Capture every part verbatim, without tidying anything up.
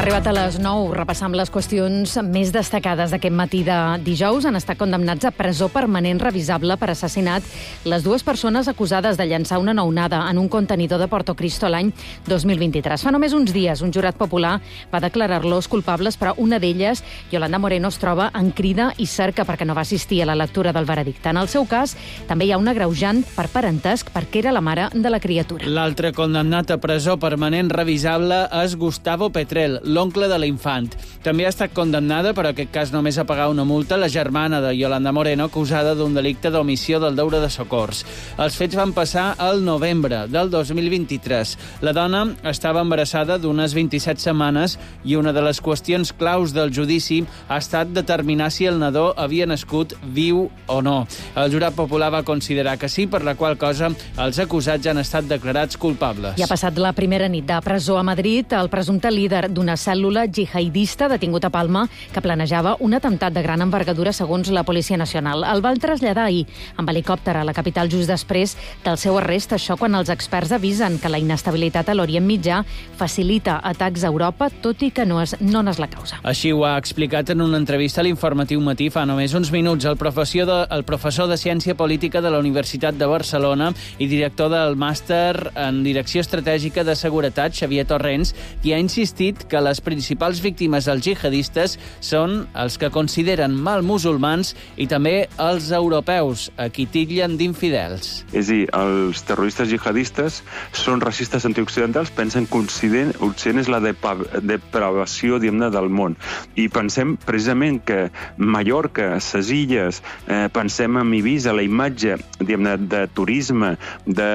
arribat a les nou. Repassam les qüestions més destacades d'aquest matí de dijous. Han estat condemnats a presó permanent revisable per assassinat les dues persones acusades de llançar una nounada en un contenidor de Porto Cristo l'any dos mil vint-i-tres. Fa només uns dies, un jurat popular va declarar-los culpables, però una d'elles, Yolanda Moreno, es troba en crida i cerca perquè no va assistir a la lectura del veredicte. En el seu cas, també hi ha un agreujant per parentesc perquè era la mare de la criatura. L'altre condemnat a presó permanent revisable és Gustavo Petrel, l'oncle de l'infant. També ha estat condemnada, però en aquest cas només a pagar una multa, la germana de Yolanda Moreno, acusada d'un delicte d'omissió del deure de socors. Els fets van passar al novembre del dos mil vint-i-tres. La dona estava embarassada d'unes vint-i-set setmanes i una de les qüestions claus del judici ha estat determinar si el nadó havia nascut viu o no. El jurat popular va considerar que sí, per la qual cosa els acusats han estat declarats culpables. I ha passat la primera nit de presó a Madrid el presumpte líder d'una cèl·lula jihadista detingut a Palma que planejava un atemptat de gran envergadura segons la Policia Nacional. El van traslladar ahir amb helicòpter a la capital just després del seu arrest, això quan els experts avisen que la inestabilitat a l'Orient Mitjà facilita atacs a Europa, tot i que no és, no n'és la causa. Així ho ha explicat en una entrevista a l'Informatiu Matí fa només uns minuts el professor de, el professor de Ciència Política de la Universitat de Barcelona i director del màster en Direcció Estratègica de Seguretat, Xavier Torrents, qui ha insistit que les principals víctimes dels jihadistes són els que consideren mal musulmans i també els europeus, a qui titllen d'infidels. És a dir, els terroristes jihadistes són racistes antioccidentals, pensen que Occident és la depravació, diguem-ne, del món. I pensem precisament que Mallorca, ses illes, eh, pensem en Eivissa, la imatge, diguem-ne, de turisme, de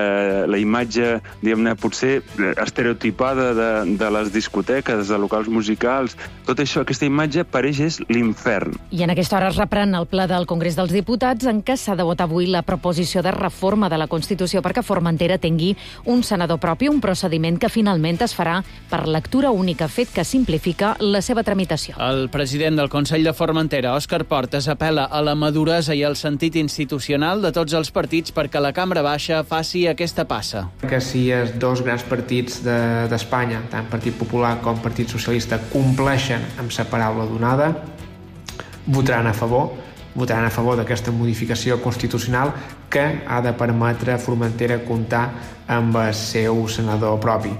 la imatge, diguem-ne, potser estereotipada de, de les discoteques, de locals musicals, tot això, aquesta imatge pareix és l'infern. I en aquesta hora es reprèn el ple del Congrés dels Diputats en què s'ha de votar avui la proposició de reforma de la Constitució perquè Formentera tingui un senador propi, un procediment que finalment es farà per lectura única, fet que simplifica la seva tramitació. El president del Consell de Formentera, Òscar Portes, apel·la a la maduresa i al sentit institucional de tots els partits perquè la Cambra Baixa faci aquesta passa. Que si els dos grans partits de, d'Espanya, tant Partit Popular com Partit Socialista, compleixen amb la paraula donada, votaran a favor, votaran a favor d'aquesta modificació constitucional que ha de permetre a Formentera comptar amb el seu senador propi.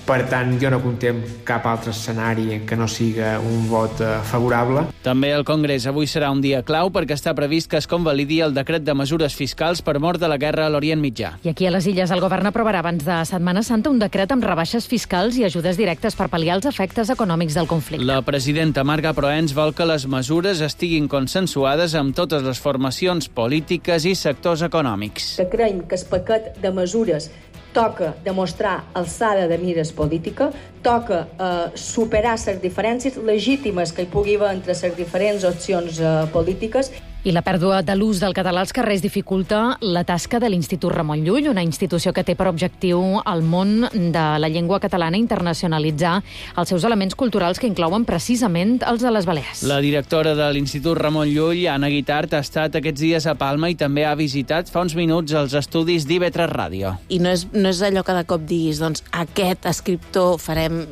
Per tant, jo no contem cap altre escenari que no siga un vot favorable. També el Congrés avui serà un dia clau perquè està previst que es convalidi el decret de mesures fiscals per mort de la guerra a l'Orient Mitjà. I aquí a les Illes el govern aprovarà abans de Setmana Santa un decret amb rebaixes fiscals i ajudes directes per pal·liar els efectes econòmics del conflicte. La presidenta Marga Proens vol que les mesures estiguin consensuades amb totes les formacions polítiques i sectors econòmics. Que creiem que el paquet de mesures toca demostrar alçada de mires política, toca eh, superar les diferències legítimes que hi pugui haver entre les diferents opcions eh, polítiques. I la pèrdua de l'ús del català als carrers dificulta la tasca de l'Institut Ramon Llull, una institució que té per objectiu el món de la llengua catalana internacionalitzar els seus elements culturals que inclouen precisament els de les Balears. La directora de l'Institut Ramon Llull, Anna Guitart, ha estat aquests dies a Palma i també ha visitat fa uns minuts els estudis d'I V tres Ràdio. I no és, no és allò que de cop diguis, doncs, aquest escriptor farem...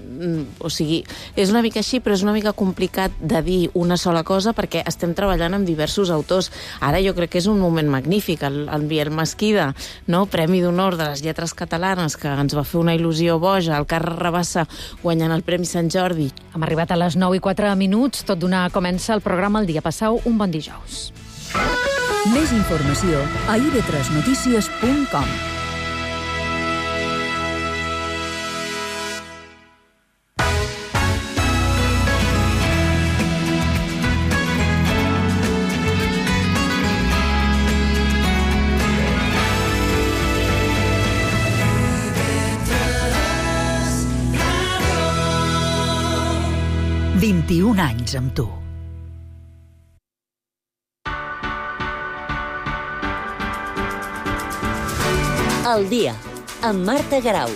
O sigui, és una mica així, però és una mica complicat de dir una sola cosa perquè estem treballant amb diversos autors. Ara jo crec que és un moment magnífic, el, el Biel Mesquida, no? Premi d'Honor de les Lletres Catalanes, que ens va fer una il·lusió boja, el Carles Rabassa guanyant el Premi Sant Jordi. Hem arribat a les nou i quatre minuts, tot d'una comença el programa El Dia. Passau un bon dijous. Més informació a i ve tres notícies punt com. vint-i-un anys amb tu. El dia, amb Marta Garau.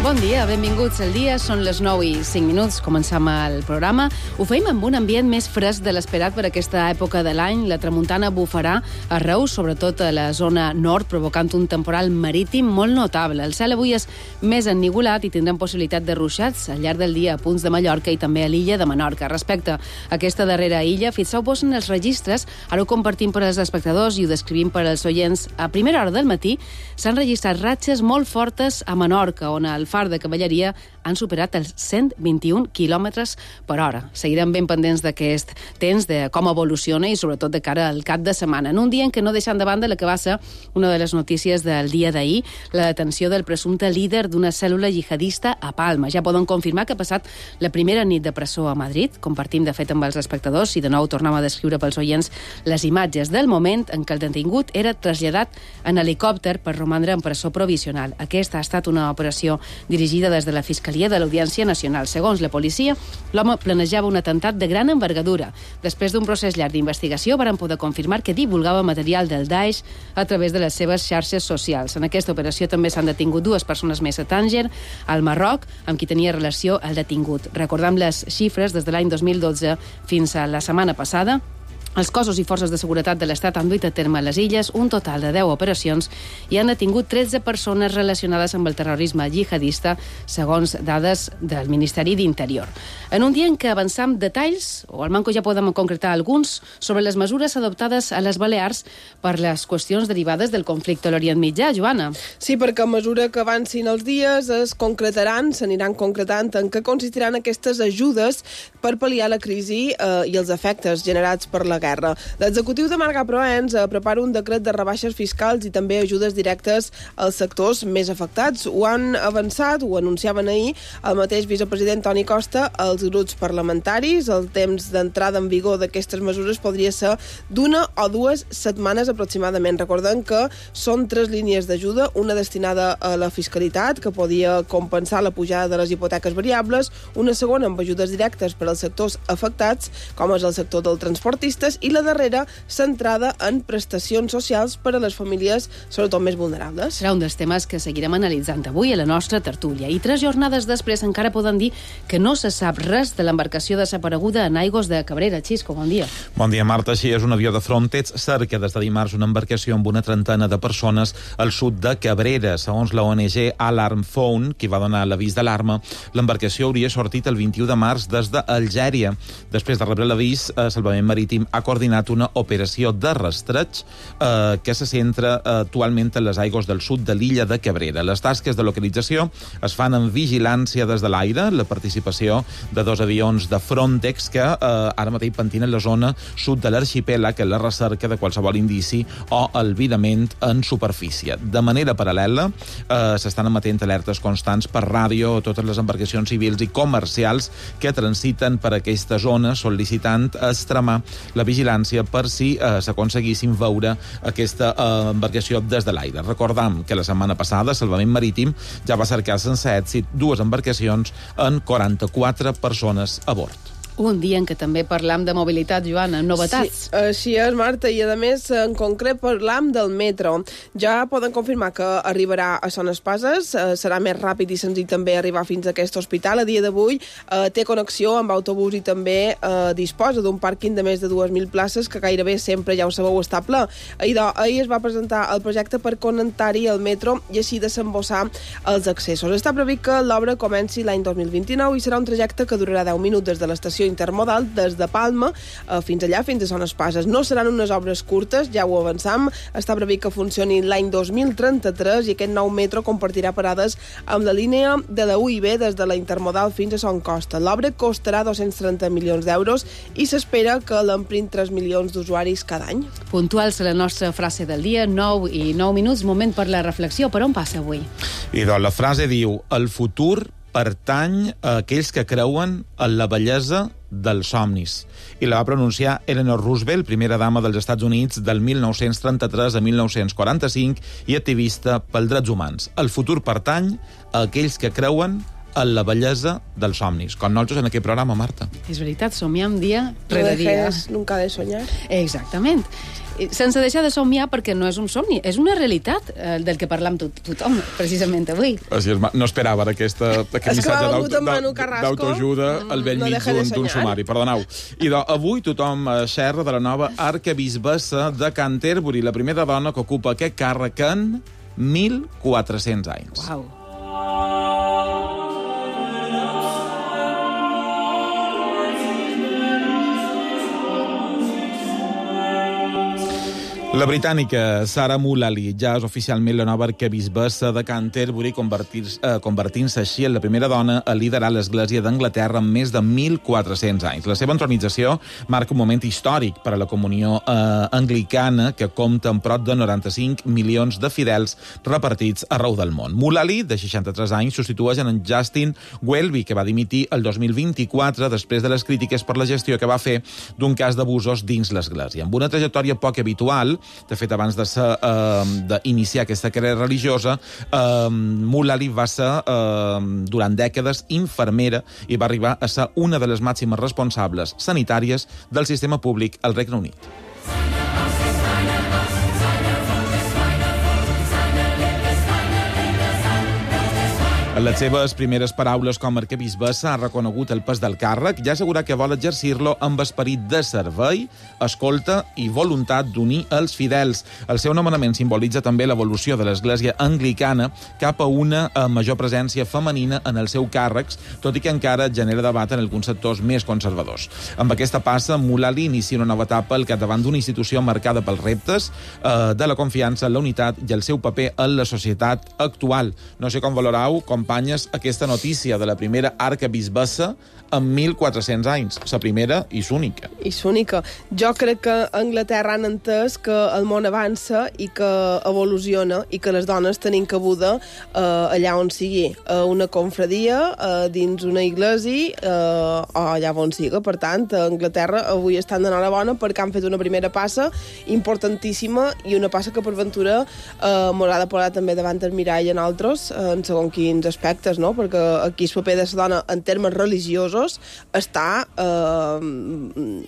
Bon dia, benvinguts al dia. Són les nou i cinc minuts, començam el programa. Ho feim amb un ambient més fresc de l'esperat per aquesta època de l'any. La tramuntana bufarà arreu, sobretot a la zona nord, provocant un temporal marítim molt notable. El cel avui és més ennigolat i tindrem possibilitat de ruixats al llarg del dia a punts de Mallorca i també a l'illa de Menorca. Respecte a aquesta darrera illa, fixeu-vos en els registres. Ara ho compartim per als espectadors i ho descrivim per als oients. A primera hora del matí s'han registrat ratxes molt fortes a Menorca, on el far de Cavalleria han superat els cent vint-i-un quilòmetres per hora. Seguirem ben pendents d'aquest temps, de com evoluciona i sobretot de cara al cap de setmana. En un dia en què no deixant de banda la que va ser una de les notícies del dia d'ahir, la detenció del presumpte líder d'una cèl·lula jihadista a Palma. Ja poden confirmar que ha passat la primera nit de presó a Madrid. Compartim, de fet, amb els espectadors i de nou tornem a descriure pels oients les imatges del moment en què el detingut era traslladat en helicòpter per romandre en presó provisional. Aquesta ha estat una operació dirigida des de la Fiscalia de l'Audiència Nacional. Segons la policia, l'home planejava un atemptat de gran envergadura. Després d'un procés llarg d'investigació, varen poder confirmar que divulgava material del Daesh a través de les seves xarxes socials. En aquesta operació també s'han detingut dues persones més a Tànger, al Marroc, amb qui tenia relació el detingut. Recordem les xifres des de l'any dos mil dotze fins a la setmana passada. Els cossos i forces de seguretat de l'Estat han duit a terme a les illes un total de deu operacions i han detingut tretze persones relacionades amb el terrorisme jihadista, segons dades del Ministeri d'Interior. En un dia en què avançam detalls, o al manco ja podem concretar alguns, sobre les mesures adoptades a les Balears per les qüestions derivades del conflicte a l'Orient Mitjà. Joana. Sí, perquè a mesura que avancin els dies es concretaran, s'aniran concretant en què consistiran aquestes ajudes per pal·liar la crisi eh, i els efectes generats per la guerra. L'executiu de Marga Proens eh, prepara un decret de rebaixes fiscals i també ajudes directes als sectors més afectats. Ho han avançat, ho anunciaven ahir el mateix vicepresident Toni Costa als grups parlamentaris. El temps d'entrada en vigor d'aquestes mesures podria ser d'una o dues setmanes aproximadament. Recordem que són tres línies d'ajuda, una destinada a la fiscalitat, que podia compensar la pujada de les hipoteques variables, una segona amb ajudes directes per als sectors afectats, com és el sector del transportistes, i la darrera centrada en prestacions socials per a les famílies, sobretot més vulnerables. Serà un dels temes que seguirem analitzant avui a la nostra tertúlia. I tres jornades després encara poden dir que no se sap res de l'embarcació desapareguda en aigües de Cabrera. Xisco, bon dia. Bon dia, Marta. Així és, un avió de Frontex cerca des de dimarts una embarcació amb una trentena de persones al sud de Cabrera. Segons la O N G Alarm Phone, qui va donar l'avís d'alarma, l'embarcació hauria sortit el vint-i-u de març des d'Algèria. Després de rebre l'avís, eh, Salvament Marítim ha coordinat una operació de rastreig eh, que se centra eh, actualment en les aigües del sud de l'illa de Cabrera. Les tasques de localització es fan en vigilància des de l'aire, la participació de dos avions de Frontex que eh, ara mateix pentinen la zona sud de l'arxipèlag en la recerca de qualsevol indici o albirament en superfície. De manera paral·lela, eh, s'estan emetent alertes constants per ràdio a totes les embarcacions civils i comercials que transiten per aquesta zona, sol·licitant extremar la vigilància per si eh, s'aconseguissin veure aquesta eh, embarcació des de l'aire. Recordam que la setmana passada Salvament Marítim ja va cercar sense èxit dues embarcacions en quaranta-quatre persones a bord. Un dia en què també parlam de mobilitat, Joana, novetats. Sí, així és, Marta, i a més, en concret, parlam del metro. Ja poden confirmar que arribarà a Son Espases, eh, serà més ràpid i senzill també arribar fins a aquest hospital. A dia d'avui eh, té connexió amb autobús i també eh, disposa d'un pàrquing de més de dues mil places que gairebé sempre, ja ho sabeu, està ple. Ahir, ahir es va presentar el projecte per connectar-hi el metro i així desembossar els accessos. Està previst que l'obra comenci l'any dos mil vint-i-nou i serà un trajecte que durarà deu minuts des de l'estació intermodal des de Palma eh, fins allà, fins a Son Espases. No seran unes obres curtes, ja ho avançam. Està previst que funcioni l'any dos mil trenta-tres i aquest nou metro compartirà parades amb la línia de la U I B des de la intermodal fins a Son Costa. L'obra costarà dos-cents trenta milions d'euros i s'espera que l'emprin tres milions d'usuaris cada any. Puntuals a la nostra frase del dia, nou i nou minuts, moment per la reflexió. Per on passa avui? I doncs la frase diu: el futur pertany a aquells que creuen en la bellesa dels somnis. I la va pronunciar Eleanor Roosevelt, primera dama dels Estats Units del mil nou-cents trenta-tres a mil nou-cents quaranta-cinc i activista pels drets humans. El futur pertany a aquells que creuen en la bellesa dels somnis. Com nosaltres en aquest programa, Marta. És veritat, somiam dia rere dia. Nunca de soñar. Exactament. sense deixar de somiar, perquè no és un somni, és una realitat eh, del que parlam tot, tothom, precisament avui. Així és, no esperava aquesta, aquest missatge d'autoajuda al bell no mig d'un sumari. Perdoneu. I do, avui tothom xerra de la nova arquebisbessa de Canterbury, la primera dona que ocupa aquest càrrec en mil quatre-cents anys. Uau. La britànica Sarah Mullally ja és oficialment la nova arquebisbessa de Canterbury, convertint-se eh, convertint així en la primera dona a liderar l'Església d'Anglaterra en més de mil quatre-cents anys. La seva entronització marca un moment històric per a la comunió eh, anglicana, que compta amb prop de noranta-cinc milions de fidels repartits arreu del món. Mullally, de seixanta-tres anys, substitueix en Justin Welby, que va dimitir el dos mil vint-i-quatre després de les crítiques per la gestió que va fer d'un cas d'abusos dins l'Església. Amb una trajectòria poc habitual, de fet, abans de ser, eh, d'iniciar aquesta carrera religiosa, eh, Mullally va ser, eh, durant dècades, infermera i va arribar a ser una de les màximes responsables sanitàries del sistema públic al Regne Unit. En les seves primeres paraules com a arquebisbessa ha reconegut el pes del càrrec i ha assegurat que vol exercir-lo amb esperit de servei, escolta i voluntat d'unir els fidels. El seu nomenament simbolitza també l'evolució de l'Església anglicana cap a una major presència femenina en els seus càrrecs, tot i que encara genera debat en alguns sectors més conservadors. Amb aquesta passa, Mullally inicia una nova etapa al capdavant d'una institució marcada pels reptes eh, de la confiança, la unitat i el seu paper en la societat actual. No sé com valorau, companyes, aquesta notícia de la primera arquebisbessa en mil quatre-cents anys, la primera i l'única. I l'única. Jo crec que a Anglaterra han entès que el món avança i que evoluciona i que les dones tenim cabuda eh, allà on sigui, a una confradia, eh, dins una iglesia eh, o allà on sigui. Per tant, a Anglaterra avui estan d'enhorabona perquè han fet una primera passa importantíssima i una passa que per ventura eh, m'haurà de posar també davant el mirall en altres, eh, en segons quins aspectes, no? Perquè aquí el paper de la dona en termes religiosos està, eh,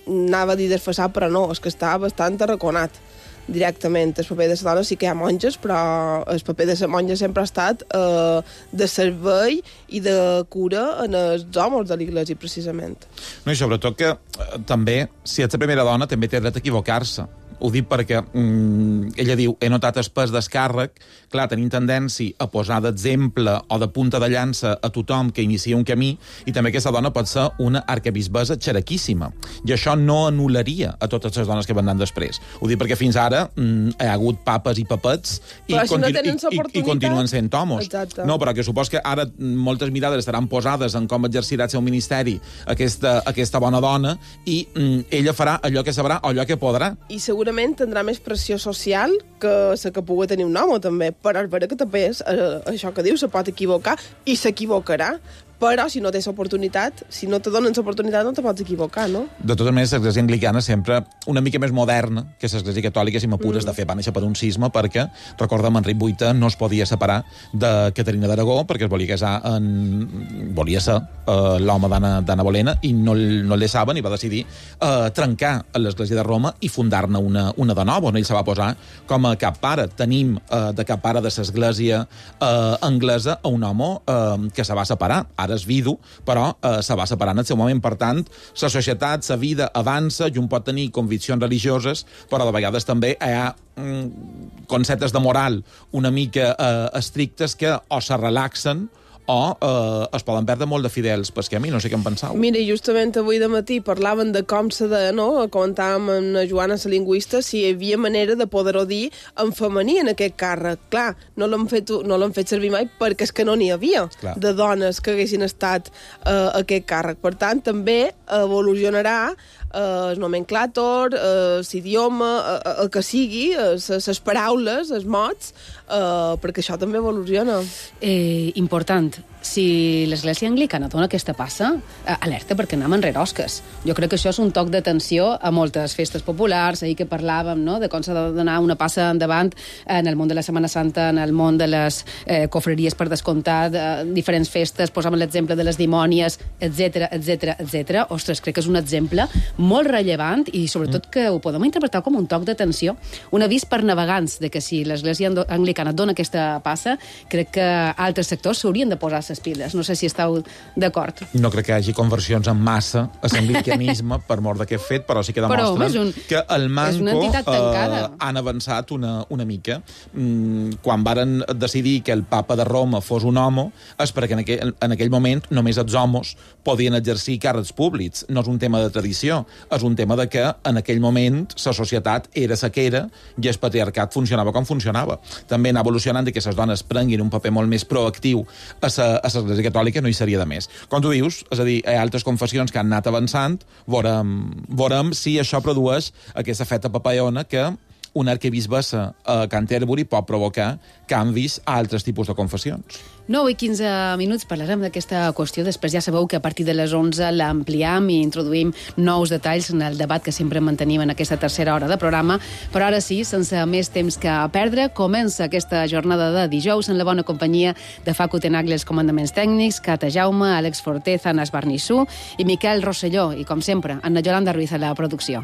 anava a dir desfasat, però no, és que està bastant arraconat directament. El paper de la dona sí que hi ha monges, però el paper de la monja sempre ha estat eh, de servei i de cura en els homes de l'Iglésia, precisament. No, i sobretot que eh, també, si ets la primera dona, també té dret a equivocar-se. Ho dic perquè mm, ella diu, he notat el pes d'escàrrec. Clar, tenim tendència a posar d'exemple o de punta de llança a tothom que inicia un camí, i també aquesta dona pot ser una arquebisbessa xeraquíssima. I això no anul·laria a totes les dones que venen després. Ho dic perquè fins ara mm, hi ha hagut papes i papets i, si no i, i, i continuen sent homos. Exacte. No, però que supos que ara moltes mirades estaran posades en com exercirà el seu ministeri aquesta, aquesta bona dona, i mm, ella farà allò que sabrà o allò que podrà. I segurament tindrà més pressió social que la que pugui tenir un home, també. Però és vera que també és eh, això que diu, se pot equivocar i s'equivocarà. Però si no tens oportunitat, si no te donen l'oportunitat, no te pots equivocar, no? De totes maneres, l'Església anglicana sempre una mica més moderna que l'Església catòlica, si m'apures, mm. de fer, va néixer per un cisma, perquè, recorda'm, Enric vuitè no es podia separar de Caterina d'Aragó, perquè es volia casar en... volia ser uh, l'home d'Anna Bolena, i no, no el deixaven, i va decidir uh, trencar l'Església de Roma i fundar-ne una, una de nova, on ell se va posar com a cap pare. Tenim uh, de cap pare de l'Església uh, anglesa a un home uh, que se va separar. Ara és vidu, però eh, se va separar en el seu moment. Per tant, la societat, la vida avança, i un pot tenir conviccions religioses, però de vegades també hi ha mm, conceptes de moral una mica eh, estrictes que o se relaxen o eh, es poden perdre molt de fidels pel camí. No sé què en pensau. Mira, justament avui de matí parlaven de com se de, no? Comentàvem amb la Joana, la lingüista, si hi havia manera de poder-ho dir en femení en aquest càrrec. Clar, no l'han fet, no l'han fet servir mai perquè és que no n'hi havia Clar. de dones que haguessin estat eh, a aquest càrrec. Per tant, també evolucionarà eh, el nomenclàtor, eh, l'idioma, eh, el que sigui, les paraules, els mots, eh, perquè això també evoluciona. Eh, important. Si l'Església anglicana dona aquesta passa, eh, alerta perquè anem enrere osques. Jo crec que això és un toc d'atenció a moltes festes populars, ahir que parlàvem, no?, de com s'ha de donar una passa endavant en el món de la Setmana Santa, en el món de les eh, cofreries per descomptat, eh, diferents festes, posàvem l'exemple de les dimònies, etcètera, etcètera, etcètera. Ostres, crec que és un exemple molt rellevant i sobretot que ho podem interpretar com un toc d'atenció, un avís per navegants de que si l'Església Anglicana dona aquesta passa, crec que altres sectors s'haurien de posar les piles. No sé si esteu d'acord. No crec que hi hagi conversions en massa a l'anglicanisme per mort d'aquest fet, però sí que demostren però, un, que el Manco eh, han avançat una, una mica. Mm, quan varen decidir que el papa de Roma fos un home, és perquè en aquell, en aquell moment només els homes podien exercir càrrecs públics. No és un tema de tradició, és un tema de que en aquell moment la societat era la que era i el patriarcat funcionava com funcionava. També anar evolucionant i que les dones prenguin un paper molt més proactiu a l'Església Catòlica no hi seria de més. Com tu dius, és a dir, hi ha altres confessions que han anat avançant, veurem, veurem si això produeix aquesta feta papallona que una arquebisbessa a Canterbury pot provocar canvis a altres tipus de confessions. nou i quinze minuts parlarem d'aquesta qüestió. Després ja sabeu que a partir de les onze l'ampliem i introduïm nous detalls en el debat que sempre mantenim en aquesta tercera hora de programa. Però ara sí, sense més temps que perdre, comença aquesta jornada de dijous en la bona companyia de Facu Tenagli, els comandaments tècnics, Cata Jaume, Àlex Forteza, Anas Barnissú i Miquel Rosselló. I, com sempre, Anna Yolanda Ruiz a la producció.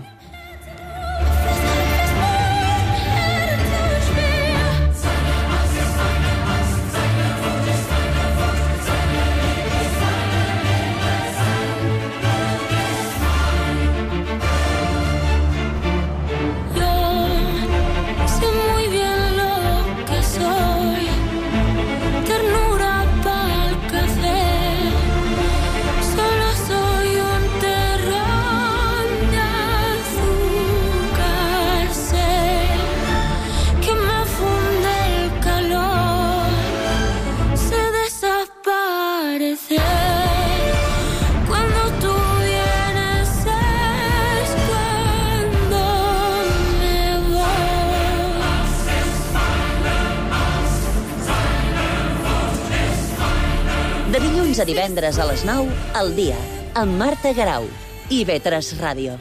A divendres a les nou, al dia, amb Marta Garau i I V tres Ràdio.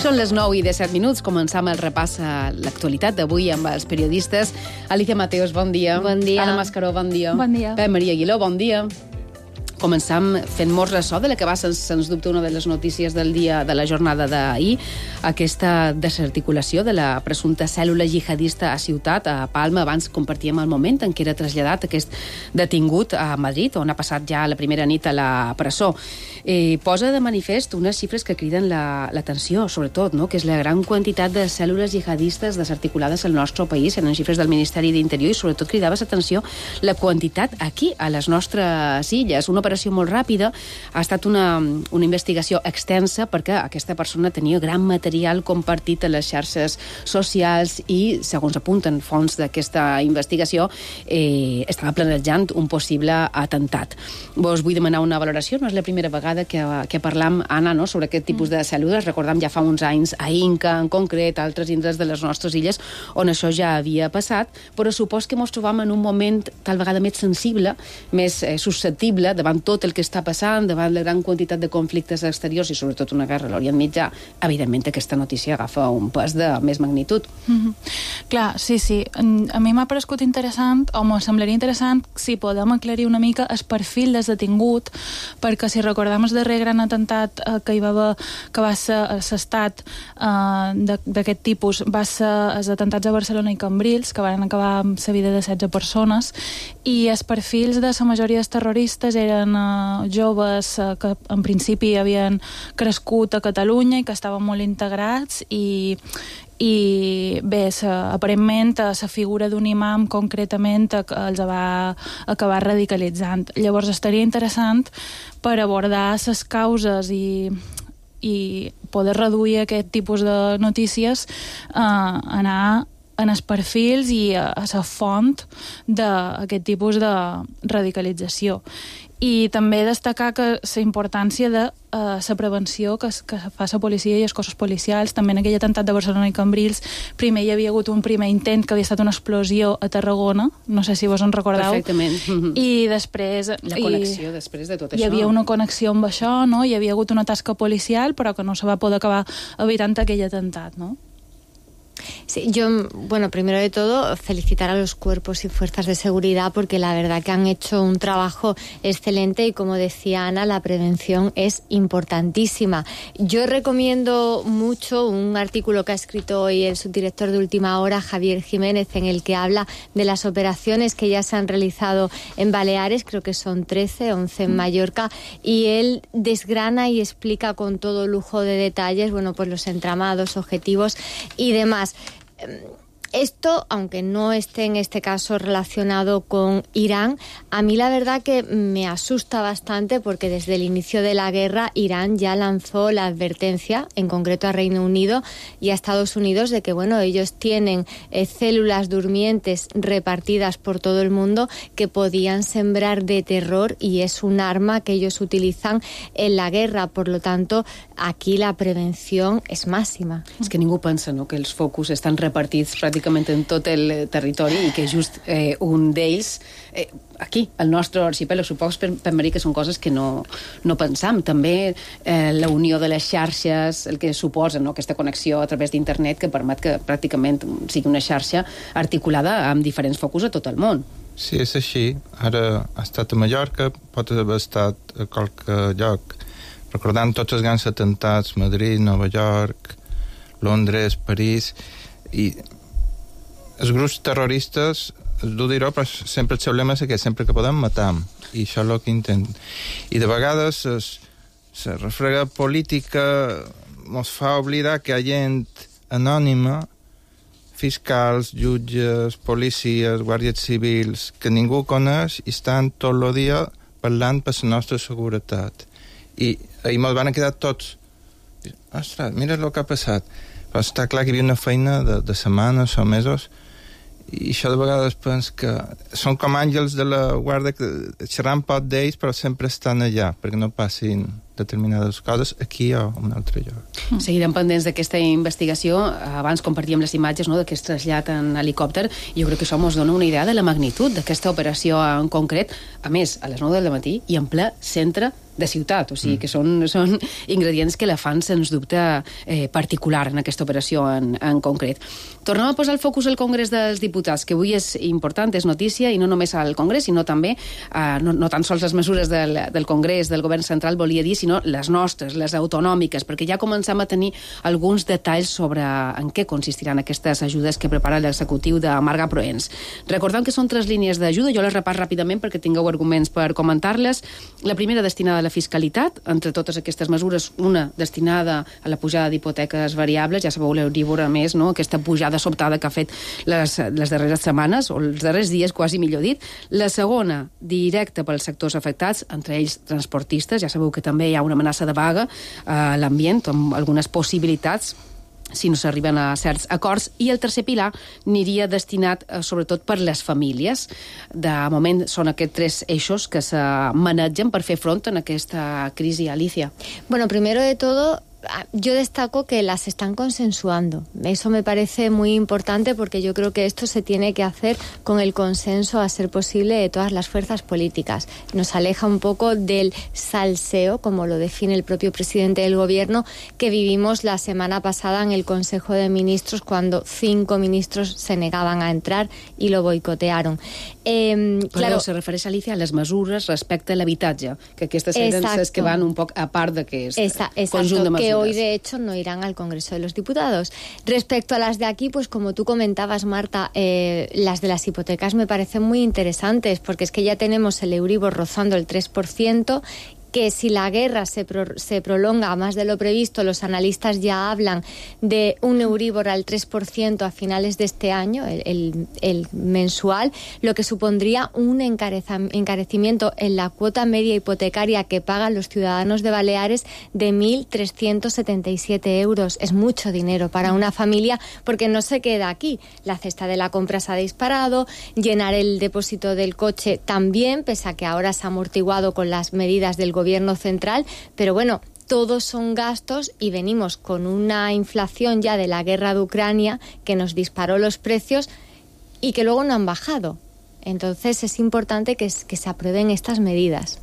Són les nou i disset minuts. Començam el repàs a l'actualitat d'avui amb els periodistes. Alicia Mateos, bon dia. Bon dia. Anna Mascaró, bon dia. Bon dia. Pep Maria Aguiló, bon dia. Començam fent molt ressò de la que va, sens, sens dubte, una de les notícies del dia de la jornada d'ahir, aquesta desarticulació de la presumpta cèl·lula jihadista a Ciutat, a Palma. Abans compartíem el moment en què era traslladat aquest detingut a Madrid, on ha passat ja la primera nit a la presó. Eh, posa de manifest unes xifres que criden l'atenció, la, sobretot, no? Que és la gran quantitat de cèl·lules jihadistes desarticulades al nostre país, eren xifres del Ministeri d'Interior, i sobretot cridaves atenció la quantitat aquí, a les nostres illes. Una operació molt ràpida, ha estat una, una investigació extensa perquè aquesta persona tenia gran material compartit a les xarxes socials i, segons apunten fonts d'aquesta investigació, eh, estava planejant un possible atemptat. Vos vull demanar una valoració, no és la primera vegada que, que parlam, Anna, no?, sobre aquest tipus de cèl·lules. Recordem ja fa uns anys a Inca, en concret, a altres indrets de les nostres illes, on això ja havia passat, però supos que ens trobam en un moment tal vegada més sensible, més eh, susceptible davant tot el que està passant, davant la gran quantitat de conflictes exteriors i sobretot una guerra a l'Orient Mitjà. Evidentment aquesta notícia agafa un pes de més magnitud. Mm-hmm. Clar, sí, sí. A mi m'ha paregut interessant, o m'ho semblaria interessant, si podem aclarir una mica el perfil del detingut, perquè si recordem el darrer gran atemptat eh, que hi va haver, que va ser l'estat eh, d'aquest tipus, va ser els atemptats a Barcelona i Cambrils, que van acabar amb la vida de setze persones, i els perfils de la majoria dels terroristes eren eh, joves eh, que en principi havien crescut a Catalunya i que estaven molt integrats, i i bé, sa, aparentment la figura d'un imam concretament els va acabar radicalitzant. Llavors estaria interessant per abordar les causes i, i poder reduir aquest tipus de notícies, eh, anar en els perfils i a, a la font d'aquest tipus de radicalització. I també destacar que la importància de uh, la prevenció que, que fa la policia i els cossos policials. També en aquell atemptat de Barcelona i Cambrils, primer hi havia hagut un primer intent que havia estat una explosió a Tarragona, no sé si vos en recordeu. Perfectament. I després... La connexió i, després de tot hi això. Hi havia una connexió amb això, no? Hi havia hagut una tasca policial, però que no se va poder acabar evitant aquell atemptat, no? Sí, yo, bueno, primero de todo, felicitar a los cuerpos y fuerzas de seguridad porque la verdad que han hecho un trabajo excelente y, como decía Ana, la prevención es importantísima. Yo recomiendo mucho un artículo que ha escrito hoy el subdirector de Última Hora, Javier Jiménez, en el que habla de las operaciones que ya se han realizado en Baleares, creo que son trece, once en Mallorca, y él desgrana y explica con todo lujo de detalles, bueno, pues los entramados, objetivos y demás. Esto, aunque no esté en este caso relacionado con Irán, a mí la verdad que me asusta bastante porque desde el inicio de la guerra Irán ya lanzó la advertencia, en concreto a Reino Unido y a Estados Unidos, de que bueno, ellos tienen eh, células durmientes repartidas por todo el mundo que podían sembrar de terror y es un arma que ellos utilizan en la guerra. Por lo tanto, aquí la prevención és màxima. És que ningú pensa, no?, que els focus estan repartits pràcticament en tot el territori i que just eh, un d'ells eh, aquí, al nostre arxipèlag, suposo per, per mi que són coses que no, no pensam. També eh, la unió de les xarxes, el que suposa, no?, aquesta connexió a través d'internet que permet que pràcticament sigui una xarxa articulada amb diferents focus a tot el món. Sí, és així. Ara ha estat a Mallorca, pot haver estat a qualque lloc. Recordant tots els grans atemptats, Madrid, Nova York, Londres, París, i els grups terroristes, és dur dir-ho, però sempre el seu lema és que sempre que podem matam, i això és el que intenten. I de vegades la refrega política ens fa oblidar que hi ha gent anònima, fiscals, jutges, policies, guàrdies civils, que ningú coneix i estan tot el dia parlant per la nostra seguretat. I ahir ens van quedar tots, ostres, mira el que ha passat. Però està clar que hi havia una feina de, de setmanes o mesos, i això de vegades penso que són com àngels de la guarda que xerran pot d'ells però sempre estan allà perquè no passin determinades coses aquí o en un altre lloc. Seguirem pendents d'aquesta investigació. Abans compartíem les imatges, no?, d'aquest trasllat en helicòpter, i jo crec que això ens dona una idea de la magnitud d'aquesta operació en concret, a més, a les nou del matí i en ple centre de ciutat, o sigui que són, són ingredients que la fan, sens dubte, eh, particular en aquesta operació en, en concret. Tornem a posar el focus al Congrés dels Diputats, que avui és important, és notícia, i no només al Congrés, sinó també, eh, no, no tan sols les mesures del, del Congrés, del Govern Central, volia dir, sinó les nostres, les autonòmiques, perquè ja començam a tenir alguns detalls sobre en què consistiran aquestes ajudes que prepara l'executiu de Marga Proens. Recordem que són tres línies d'ajuda, jo les repàs ràpidament perquè tingueu arguments per comentar-les. La primera destinada a la fiscalitat, entre totes aquestes mesures, una destinada a la pujada d'hipoteques variables, ja sabeu l'Euríbor, a més, no?, aquesta pujada sobtada que ha fet les, les darreres setmanes, o els darrers dies, quasi millor dit. La segona, directa pels sectors afectats, entre ells transportistes, ja sabeu que també hi ha una amenaça de vaga a l'ambient, amb algunes possibilitats si no s'arriben a certs acords, i el tercer pilar aniria destinat eh, sobretot per les famílies. De moment són aquests tres eixos que se manegen per fer front en aquesta crisi, Alicia. Bueno, primero de todo, yo destaco que las están consensuando. Eso me parece muy importante porque yo creo que esto se tiene que hacer con el consenso, a ser posible, de todas las fuerzas políticas. Nos aleja un poco del salseo, como lo define el propio presidente del gobierno, que vivimos la semana pasada en el Consejo de Ministros, cuando cinco ministros se negaban a entrar y lo boicotearon. Eh, Però claro, se refereix, Alicia, a les mesures respecte a l'habitatge, que aquestes eren les que van un poc a part d'aquest conjunt de mesures. Que hoy, de hecho, no irán al Congreso de los Diputados. Respecto a las de aquí, pues como tú comentabas, Marta, eh, las de las hipotecas me parecen muy interesantes, porque es que ya tenemos el Euribor rozando el tres por ciento que si la guerra se, pro, se prolonga a más de lo previsto, los analistas ya hablan de un Euribor al tres por ciento a finales de este año, el, el, el mensual, lo que supondría un encarecimiento en la cuota media hipotecaria que pagan los ciudadanos de Baleares de mil trescientos setenta y siete euros. Es mucho dinero para una familia, porque no se queda aquí. La cesta de la compra se ha disparado, llenar el depósito del coche también, pese a que ahora se ha amortiguado con las medidas del gobierno central, pero bueno, todos son gastos y venimos con una inflación ya de la guerra de Ucrania que nos disparó los precios y que luego no han bajado. Entonces es importante que, que se aprueben estas medidas.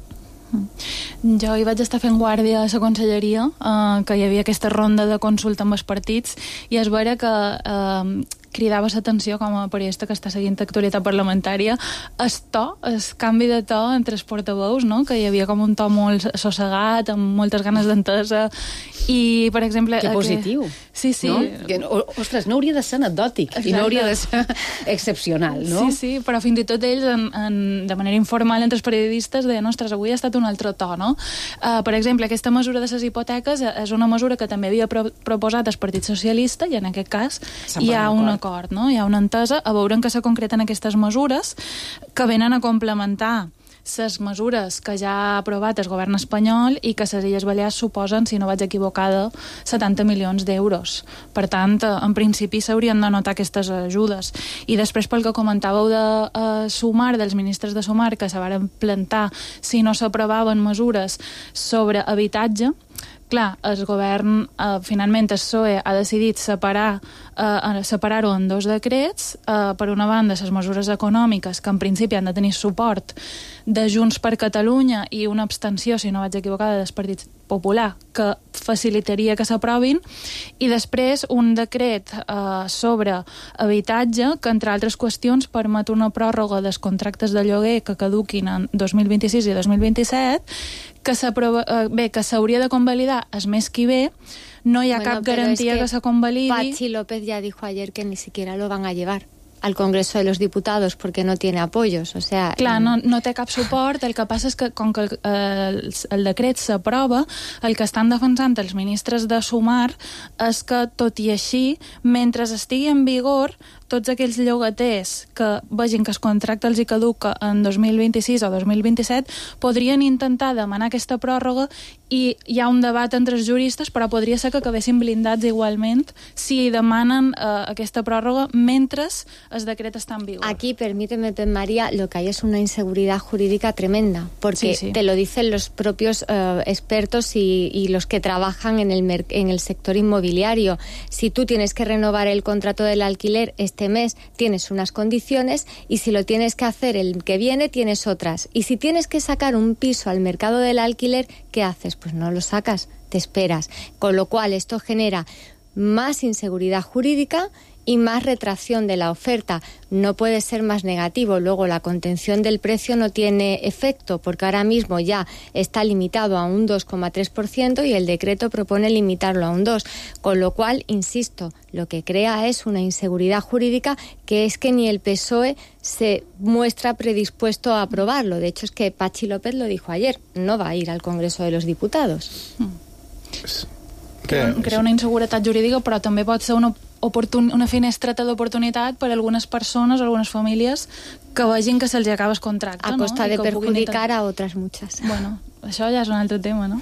Jo hi vaig estar fent guàrdia a la conselleria, eh, que hi havia aquesta ronda de consulta amb els partits, i es veure que eh, cridava l'atenció com a periodista que està seguint l'actualitat parlamentària el to, el canvi de to entre els portaveus, no? Que hi havia com un to molt assossegat, amb moltes ganes d'entesa, i per exemple... Que positiu. Que... Sí, sí. No? Que, ostres, no hauria de ser anecdòtic. Exacte. I no hauria de ser excepcional, no? Sí, sí, però fins i tot ells, en, en, de manera informal entre els periodistes, deien, ostres, avui ha estat un altre to, no? Uh, per exemple, aquesta mesura de les hipoteques és una mesura que també havia pro proposat el Partit Socialista, i en aquest cas hi ha un acord, no? Hi ha una entesa, a veure en què se concreten aquestes mesures que venen a complementar les mesures que ja ha aprovat el govern espanyol i que les Illes Balears suposen, si no vaig equivocada, setanta milions d'euros. Per tant, en principi s'haurien de notar aquestes ajudes. I després, pel que comentàveu de eh, Sumar, dels ministres de Sumar, que se varen plantar si no s'aprovaven mesures sobre habitatge, clar, el govern, eh, finalment el P S O E ha decidit separar eh, separar-ho en dos decrets. Eh, per una banda, les mesures econòmiques, que en principi han de tenir suport de Junts per Catalunya i una abstenció, si no vaig equivocada, del Partit Popular, que facilitaria que s'aprovin, i després un decret eh, sobre habitatge que, entre altres qüestions, permet una pròrroga dels contractes de lloguer que caduquin en dos mil vint-i-sis i dos mil vint-i-set, que eh, bé, que s'hauria de convalidar el mes que ve. No hi ha bueno, cap garantia es que, que se convalidi. Patxi López ya dijo ayer que ni siquiera lo van a llevar al Congreso de los Diputados porque no tiene apoyos, o sea... Clar, no, no té cap suport, el que passa és que com que el, el, el decret s'aprova, el que estan defensant els ministres de Sumar és que, tot i així, mentre estigui en vigor, tots aquells llogaters que vegin que es contracte els hi caduca en dos mil vint-i-sis o dos mil vint-i-set podrien intentar demanar aquesta pròrroga, i hi ha un debat entre els juristes, però podria ser que acabessin blindats igualment si demanen eh, aquesta pròrroga mentre el decret está en vigor. Aquí, permíteme, María, lo que hay es una inseguridad jurídica tremenda, porque sí, sí. te lo dicen los propios uh, expertos y, y los que trabajan en el, en el sector inmobiliario. Si tú tienes que renovar el contrato del alquiler este mes, tienes unas condiciones, y si lo tienes que hacer el que viene, tienes otras. Y si tienes que sacar un piso al mercado del alquiler, ¿qué haces? Pues no lo sacas, te esperas. Con lo cual, esto genera más inseguridad jurídica y más retracción de la oferta. No puede ser más negativo. Luego, la contención del precio no tiene efecto, porque ahora mismo ya está limitado a un dos coma tres por ciento y el decreto propone limitarlo a un dos por ciento. Con lo cual, insisto, lo que crea es una inseguridad jurídica que es que ni el P S O E se muestra predispuesto a aprobarlo. De hecho, es que Patxi López lo dijo ayer, no va a ir al Congreso de los Diputados. Crea, crea una inseguretat jurídica, però també pot ser una Oportun una finestreta d'oportunitat per a algunes persones, algunes famílies, que vegin que se'ls acaba el contracte. A costa no? de perjudicar a otras muchas. Bueno, això ja és un altre tema, no?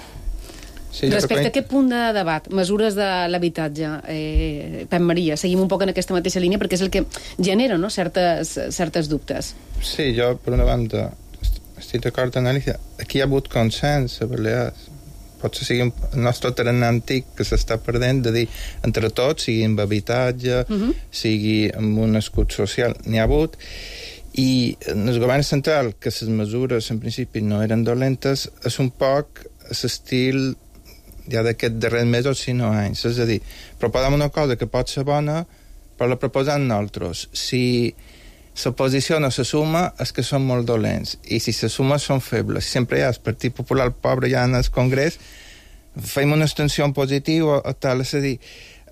Sí, respecte a aquest punt de debat, mesures de l'habitatge, eh, Pep Maria, seguim un poc en aquesta mateixa línia, perquè és el que genera, no?, certes, certes dubtes. Sí, jo, per una banda, estic d'acord amb Alicia. Aquí hi ha hagut consens a Balears. Potser sigui el nostre tarannà antic que s'està perdent, de dir, entre tots, sigui amb habitatge, uh-huh. sigui amb un escut social, n'hi ha hagut, i en el govern central, que les mesures en principi no eren dolentes, és un poc l'estil ja d'aquest darrer mesos, si no anys. És a dir, proposem una cosa que pot ser bona, però la proposem nosaltres. Si l'oposició no se suma, és que són molt dolents, i si se suma són febles. Si sempre hi ha el Partit Popular pobre ja en el Congrés, fem una extensió positiva o tal. És a dir,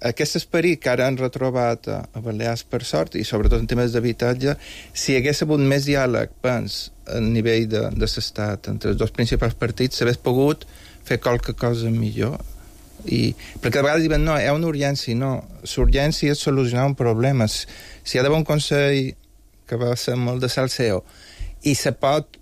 aquest esperit que ara han retrobat a, a Balears per sort, i sobretot en temes d'habitatge, si hi hagués hagut més diàleg, pens, a nivell de, de l'estat, entre els dos principals partits, s'hagués pogut fer qualque cosa millor. I, perquè a vegades diuen, no, hi ha una urgència. No, l'urgència és solucionar un problema. Si hi ha d'haver un Consell que va ser molt de salseo i se pot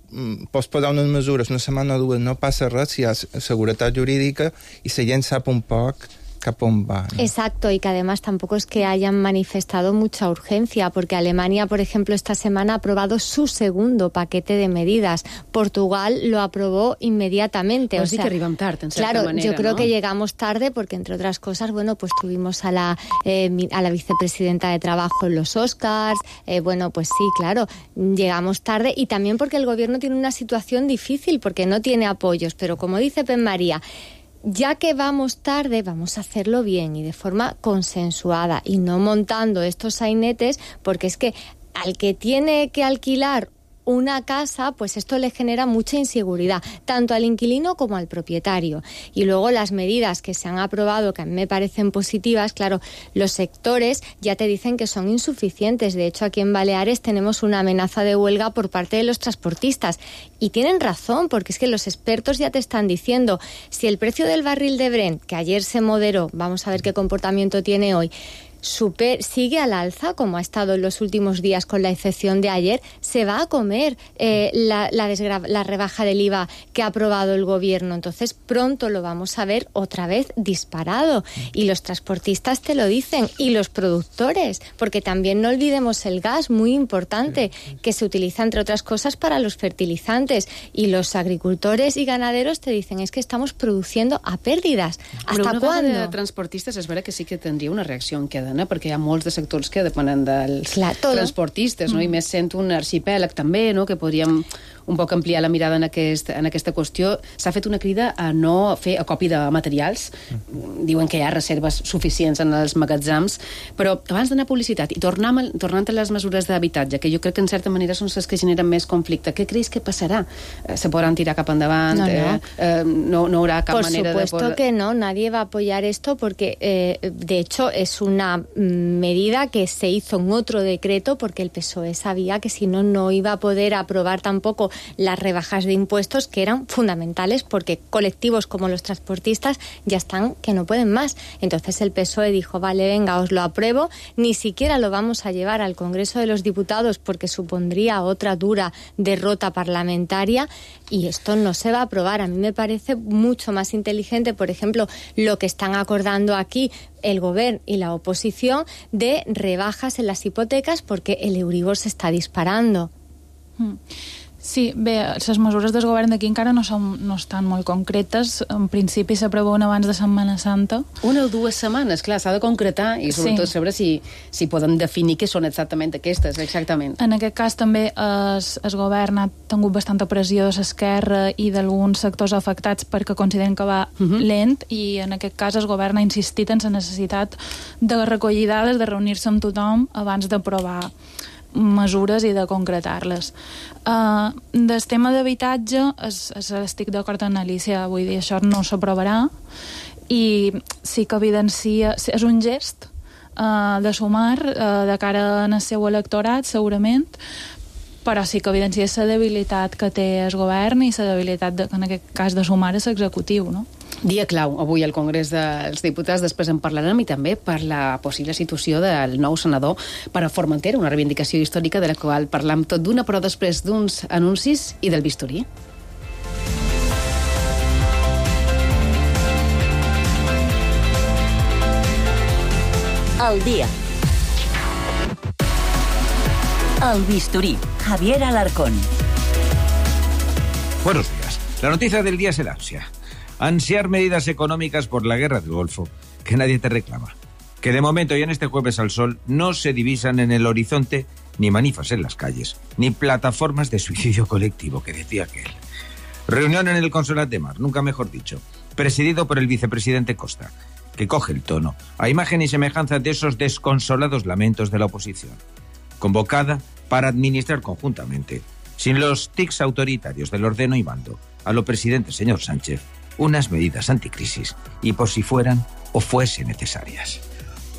posposar unes mesures una setmana o dues, no passa res si hi ha seguretat jurídica i la gent sap un poc cap on va, ¿no? Exacto, y que además tampoco es que hayan manifestado mucha urgencia, porque Alemania, por ejemplo, esta semana ha aprobado su segundo paquete de medidas. Portugal lo aprobó inmediatamente. Pues o sí sea, que arribam tard, en cierta claro, manera, yo creo ¿no? que llegamos tarde porque, entre otras cosas, bueno, pues tuvimos a la, eh, a la vicepresidenta de Trabajo en los Oscars, eh, bueno, pues sí, claro, llegamos tarde, y también porque el gobierno tiene una situación difícil, porque no tiene apoyos, pero como dice Pen María, ya que vamos tarde, vamos a hacerlo bien y de forma consensuada y no montando estos sainetes, porque es que al que tiene que alquilar una casa, pues esto le genera mucha inseguridad, tanto al inquilino como al propietario. Y luego las medidas que se han aprobado, que a mí me parecen positivas, claro, los sectores ya te dicen que son insuficientes. De hecho, aquí en Baleares tenemos una amenaza de huelga por parte de los transportistas. Y tienen razón, porque es que los expertos ya te están diciendo, si el precio del barril de Brent, que ayer se moderó, vamos a ver qué comportamiento tiene hoy, Super, sigue al alza, como ha estado en los últimos días, con la excepción de ayer, se va a comer eh, la, la, desgra- la rebaja del I V A que ha aprobado el gobierno. Entonces, pronto lo vamos a ver otra vez disparado. Y los transportistas te lo dicen, y los productores, porque también no olvidemos el gas, muy importante, que se utiliza, entre otras cosas, para los fertilizantes. Y los agricultores y ganaderos te dicen, es que estamos produciendo a pérdidas. ¿Hasta cuándo? De transportistes és vera que sí que tindria una reacció en cadena, perquè hi ha molts de sectors que depenen dels Clar, transportistes, no? Mm. I més sent un arxipèlag també, no? Que podríem un poc ampliar la mirada en, aquest, en aquesta qüestió. S'ha fet una crida a no fer acopi de materials. Mm. Diuen que hi ha reserves suficients en els magatzems, però abans d'anar a publicitat i tornant, tornant a les mesures d'habitatge, que jo crec que en certa manera són les que generen més conflicte, què creus que passarà? Se podran tirar cap endavant? No, no. Eh, eh, no, no haurà cap Por manera de... Por supuesto que no, nadie va a apoyar esto porque, eh, de hecho, es una medida que se hizo en otro decreto porque el P S O E sabía que si no, no iba a poder aprobar tampoco las rebajas de impuestos que eran fundamentales porque colectivos como los transportistas ya están que no pueden más. Entonces el P S O E dijo, vale, venga, os lo apruebo, ni siquiera lo vamos a llevar al Congreso de los Diputados porque supondría otra dura derrota parlamentaria y esto no se va a aprobar. A mí me parece mucho más inteligente, por ejemplo, lo que están acordando aquí el Govern y la oposición de rebajas en las hipotecas porque el Euribor se está disparando. Mm. Sí, bé, les mesures del govern d'aquí encara no, són, no estan molt concretes. En principi s'aproven abans de Setmana Santa. Una o dues setmanes, clar, s'ha de concretar i sobretot sí. saber si, si poden definir què són exactament aquestes, exactament. En aquest cas també el, el govern ha tingut bastanta pressió de l'esquerra i d'alguns sectors afectats perquè consideren que va uh-huh. lent i en aquest cas el govern ha insistit en la necessitat de recollir dades, de reunir-se amb tothom abans d'aprovar mesures i de concretar-les. Uh, del tema d'habitatge es, es, estic d'acord amb Alicia, vull dir, això no s'aprovarà i sí que evidencia, és un gest uh, de sumar uh, de cara al seu electorat, segurament, però sí que evidencia la debilitat que té el govern i la debilitat, de, en aquest cas, de sumar a l'executiu, no? Dia clau avui al Congrés dels Diputats, després en parlarem, i també per la possible situació del nou senador per a Formentera, una reivindicació històrica de la qual parlam tot d'una, però després d'uns anuncis i del bisturí. Al día. Al bisturí, Javier Alarcón. Buenos días. La noticia del día es el ansia. Ansiar medidas económicas por la guerra del Golfo, que nadie te reclama. Que de momento y en este Jueves al Sol no se divisan en el horizonte ni manifas en las calles, ni plataformas de suicidio colectivo, que decía aquel. Reunión en el Consolat de Mar, nunca mejor dicho, presidido por el vicepresidente Costa, que coge el tono, a imagen y semejanza de esos desconsolados lamentos de la oposición. Convocada para administrar conjuntamente, sin los tics autoritarios del ordeno y mando, a lo presidente señor Sánchez, unas medidas anticrisis y por si fueran o fuesen necesarias.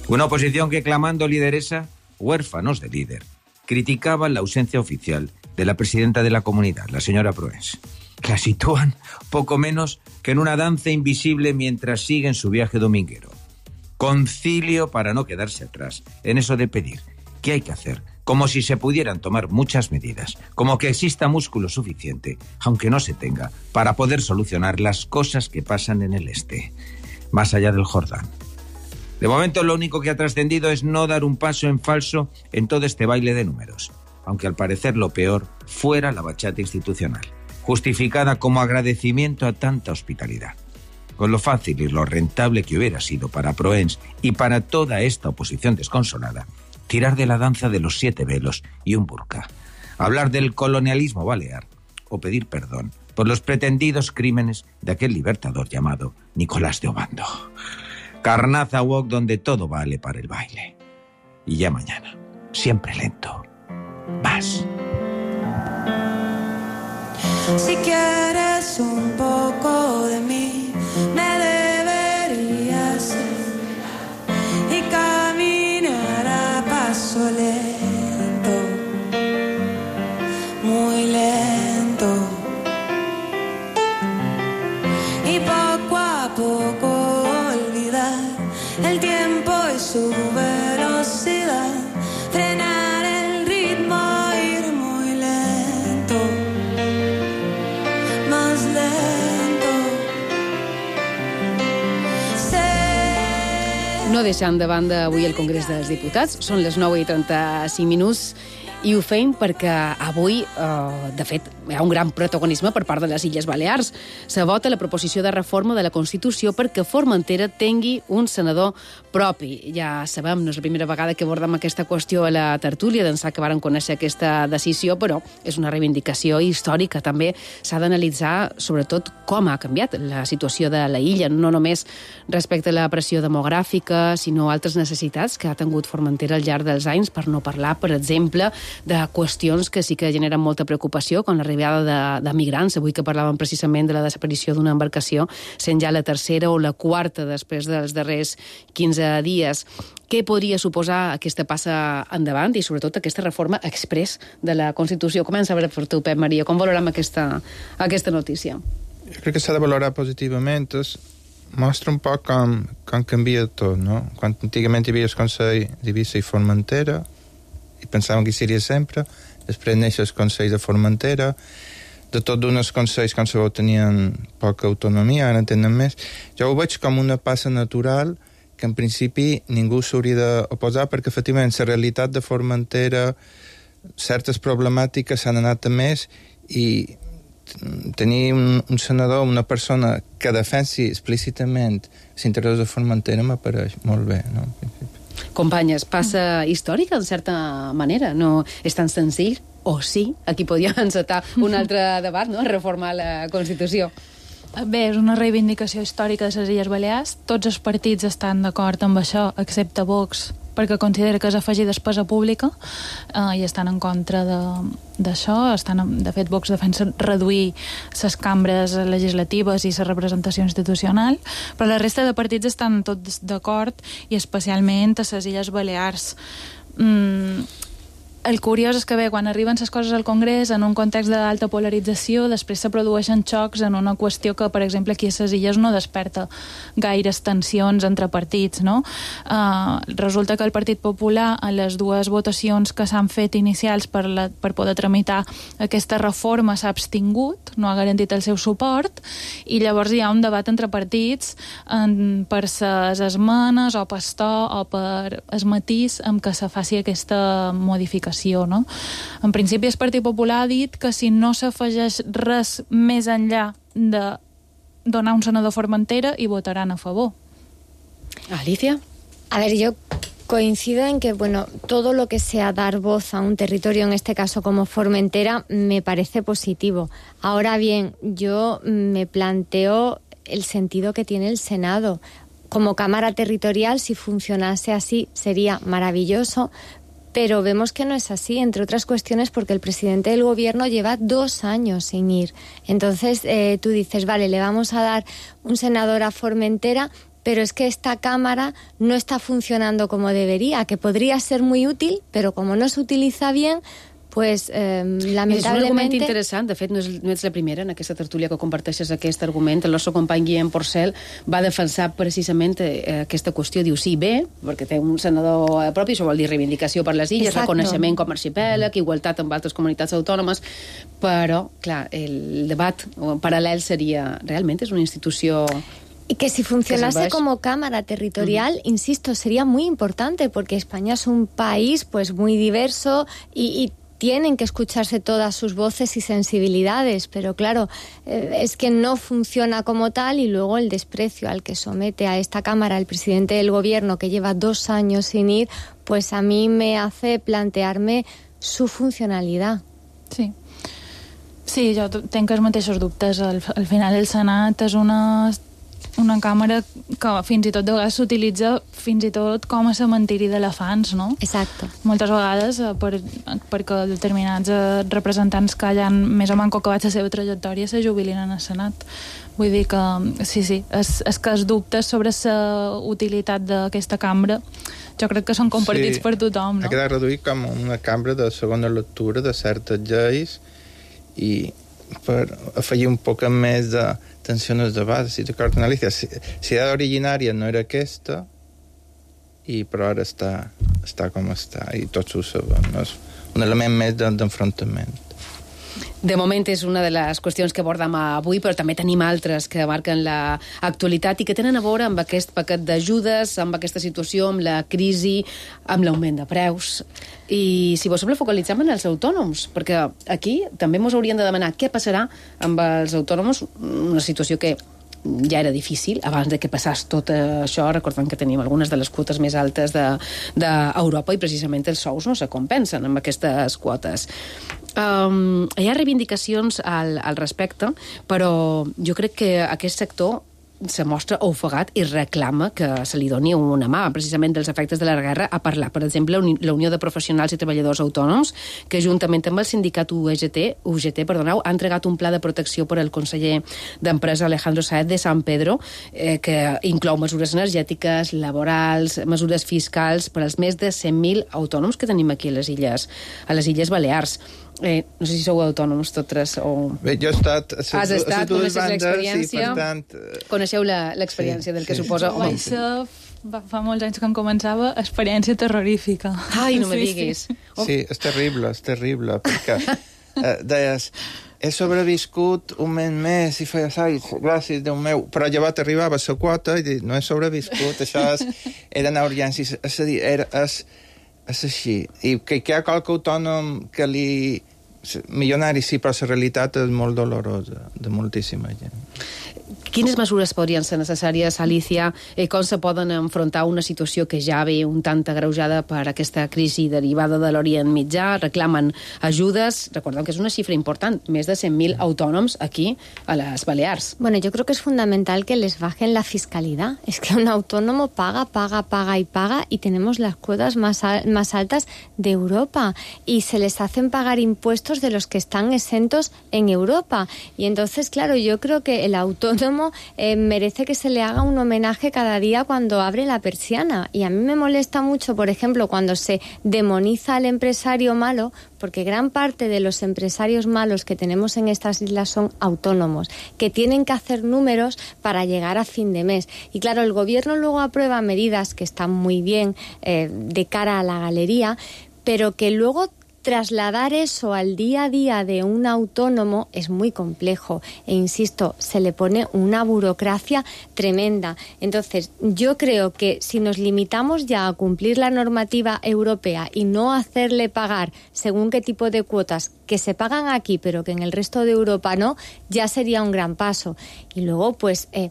Una oposición que, clamando lideresa, huérfanos de líder, criticaban la ausencia oficial de la presidenta de la comunidad, la señora Proens. La sitúan poco menos que en una danza invisible mientras siguen su viaje dominguero. Concilio para no quedarse atrás en eso de pedir. ¿Qué hay que hacer? Como si se pudieran tomar muchas medidas, como que exista músculo suficiente, aunque no se tenga, para poder solucionar las cosas que pasan en el este, más allá del Jordán. De momento lo único que ha trascendido es no dar un paso en falso en todo este baile de números, aunque al parecer lo peor fuera la bachata institucional, justificada como agradecimiento a tanta hospitalidad. Con lo fácil y lo rentable que hubiera sido para Proens y para toda esta oposición desconsolada, tirar de la danza de los siete velos y un burka, hablar del colonialismo balear o pedir perdón por los pretendidos crímenes de aquel libertador llamado Nicolás de Obando. Carnaza Walk donde todo vale para el baile. Y ya mañana, siempre lento, más. Si quieres un poco de mí, me deberías ir y caminar a paso lento, muy lento, y poco a poco olvidar el tiempo y su velocidad, frenar el ritmo, ir muy lento, más lento. No deixant de banda avui el Congrés dels Diputats, són les nou i trenta-cinc minuts, i ho fem perquè avui, eh, de fet, hi ha un gran protagonisme per part de les Illes Balears. Se vota la proposició de reforma de la Constitució perquè Formentera tingui un senador propi. Ja sabem, no és la primera vegada que abordem aquesta qüestió a la tertúlia, d'ençà que varen conèixer aquesta decisió, però és una reivindicació històrica. També s'ha d'analitzar, sobretot, com ha canviat la situació de la illa, no només respecte a la pressió demogràfica, sinó altres necessitats que ha tingut Formentera al llarg dels anys, per no parlar, per exemple, de qüestions que sí que generen molta preocupació, com l'arribada de, de migrants. Avui que parlàvem precisament de la desaparició d'una embarcació, sent ja la tercera o la quarta després dels darrers quinze dies. Què podria suposar aquesta passa endavant i, sobretot, aquesta reforma express de la Constitució? Comença a veure per tu, Pep Maria. Com valorem aquesta, aquesta notícia? Jo crec que s'ha de valorar positivament. Mostra un poc com, com canvia tot, no? Quan antigament hi havia el Consell d'Eivissa i Formentera, i pensàvem que hi seria sempre, després neix el Consell de Formentera, de tot d'uns consells com sabeu tenien poca autonomia, ara en tenen més. Jo ho veig com una passa natural que en principi ningú s'hauria d'oposar, perquè efectivament la realitat de Formentera, certes problemàtiques s'han anat a més, i tenir un, un senador, una persona que defensi explícitament l'interès de Formentera m'apareix molt bé, no? Companyes, passa històrica, en certa manera. No és tan senzill, o sí, aquí podríem encetar un altre debat, no?, reformar la Constitució. Bé, és una reivindicació històrica de les Illes Balears. Tots els partits estan d'acord amb això, excepte Vox, perquè considera que és afegir despesa pública, eh, i estan en contra d'això. Estan, de fet, Vox defensa reduir les cambres legislatives i la representació institucional, però la resta de partits estan tots d'acord, i especialment a les Illes Balears. Mm, el curiós és que, bé, quan arriben les coses al Congrés en un context d'alta polarització, després se produeixen xocs en una qüestió que, per exemple, aquí a les Illes no desperta gaires tensions entre partits, no? Uh, resulta que el Partit Popular, a les dues votacions que s'han fet inicials per, la, per poder tramitar aquesta reforma, s'ha abstingut, no ha garantit el seu suport, i llavors hi ha un debat entre partits en, per les esmenes o per to o per el matís amb què se faci aquesta modificació. No? En principi, el Partit Popular ha dit que si no s'afegeix res més enllà de donar un senador a Formentera, hi votaran a favor. Alicia? A ver, yo coincido en que, bueno, todo lo que sea dar voz a un territorio, en este caso como Formentera, me parece positivo. Ahora bien, yo me planteo el sentido que tiene el Senado. Como Cámara Territorial, si funcionase así, sería maravilloso, pero vemos que no es así, entre otras cuestiones porque el presidente del gobierno lleva dos años sin ir. Entonces, eh, tú dices, vale, le vamos a dar un senador a Formentera, pero es que esta cámara no está funcionando como debería, que podría ser muy útil, pero como no se utiliza bien, pues eh, lamentablement... És un argument interessant. De fet, no, és, no ets la primera en aquesta tertúlia que comparteixes aquest argument. El nostre company Guillem Porcel va defensar precisament eh, aquesta qüestió. Diu, sí, bé, perquè té un senador propi, això vol dir reivindicació per les illes, Exacto. reconeixement com a arxipèlag, igualtat amb altres comunitats autònomes, però, clar, el debat paral·lel seria, realment és una institució... Y que si funcionase como cámara territorial, uh-huh. insisto, sería muy importante, porque España es un país pues muy diverso y, y tienen que escucharse todas sus voces y sensibilidades, pero claro, eh, es que no funciona como tal, y luego el desprecio al que somete a esta Cámara el presidente del Gobierno, que lleva dos años sin ir, pues a mí me hace plantearme su funcionalidad. Sí. Sí, jo tenc els mateixos dubtes. Al, al final el Senat és una... una càmera que fins i tot de vegades s'utilitza fins i tot com a cementiri d'elefants, no? Exacte. Moltes vegades per, perquè determinats representants que ja han més o menys acabat la seva trajectòria se jubilin en el Senat. Vull dir que, sí, sí, és, és que els dubtes sobre la utilitat d'aquesta cambra jo crec que són compartits sí, per tothom, no? Ha quedat reduït com una cambra de segona lectura de certes lleis i per afegir un poc més de tensió en els debats. Si d'acord, Alicia, si, si la originària no era aquesta, i però ara està, està com està, i tots ho sabem, no? És un element més d'enfrontament. De moment és una de les qüestions que abordem avui, però també tenim altres que marquen l'actualitat i que tenen a veure amb aquest paquet d'ajudes, amb aquesta situació, amb la crisi, amb l'augment de preus. I, si vos sembla, focalitzem en els autònoms, perquè aquí també ens haurien de demanar què passarà amb els autònoms, una situació que ja era difícil abans de que passés tot això. Recordem que tenim algunes de les quotes més altes d'Europa de, i precisament els sous no se compensen amb aquestes quotes. Um, hi ha reivindicacions al, al respecte, però jo crec que aquest sector se mostra ofegat i reclama que se li doni una mà, precisament dels efectes de la guerra, a parlar. Per exemple, la Unió de Professionals i Treballadors Autònoms, que juntament amb el sindicat U G T, U G T perdoneu, ha entregat un pla de protecció per al conseller d'Empresa Alejandro Sáez de San Pedro, eh, que inclou mesures energètiques, laborals, mesures fiscals per als més de cent mil autònoms que tenim aquí a les Illes, a les Illes Balears. Eh, no sé si sou autònoms totes o... Bé, jo he estat... A Has estat, coneixes l'experiència? Tant... Coneixeu l'experiència sí, del que sí. suposa... Jo vaig ser, fa molts anys que em començava, experiència terrorífica. Ai, no me diguis. Sí, sí. sí, és terrible, és terrible, perquè eh, deies, he sobreviscut un mes més i feies, ai, gràcies, Déu meu, però llavors arribava a la quota i dic, no he sobreviscut, això és, eren urgències, és a dir, era, és, és així. I que, que hi ha qualque autònom que li... milionari sí, però la realitat és molt dolorosa de moltíssima gent. Quines mesures podrien ser necessàries, Alicia? Eh, com se poden enfrontar una situació que ja ve un tant agreujada per aquesta crisi derivada de l'Orient Mitjà? Reclamen ajudes. Recordem que és una xifra important, més de cent mil autònoms aquí a les Balears. Bueno, yo creo que es fundamental que les bajen la fiscalidad. Es que un autónomo paga, paga, paga y paga, y tenemos las cuotas más, al, más altas de Europa, y se les hacen pagar impuestos de los que están exentos en Europa. Y entonces, claro, yo creo que el autónomo eh, merece que se le haga un homenaje cada día cuando abre la persiana. Y a mí me molesta mucho, por ejemplo, cuando se demoniza al empresario malo, porque gran parte de los empresarios malos que tenemos en estas islas son autónomos, que tienen que hacer números para llegar a fin de mes. Y claro, el gobierno luego aprueba medidas que están muy bien eh, de cara a la galería, pero que luego trasladar eso al día a día de un autónomo es muy complejo. E insisto, se le pone una burocracia tremenda. Entonces, yo creo que si nos limitamos ya a cumplir la normativa europea y no hacerle pagar según qué tipo de cuotas que se pagan aquí, pero que en el resto de Europa no, ya sería un gran paso. Y luego, pues... Eh,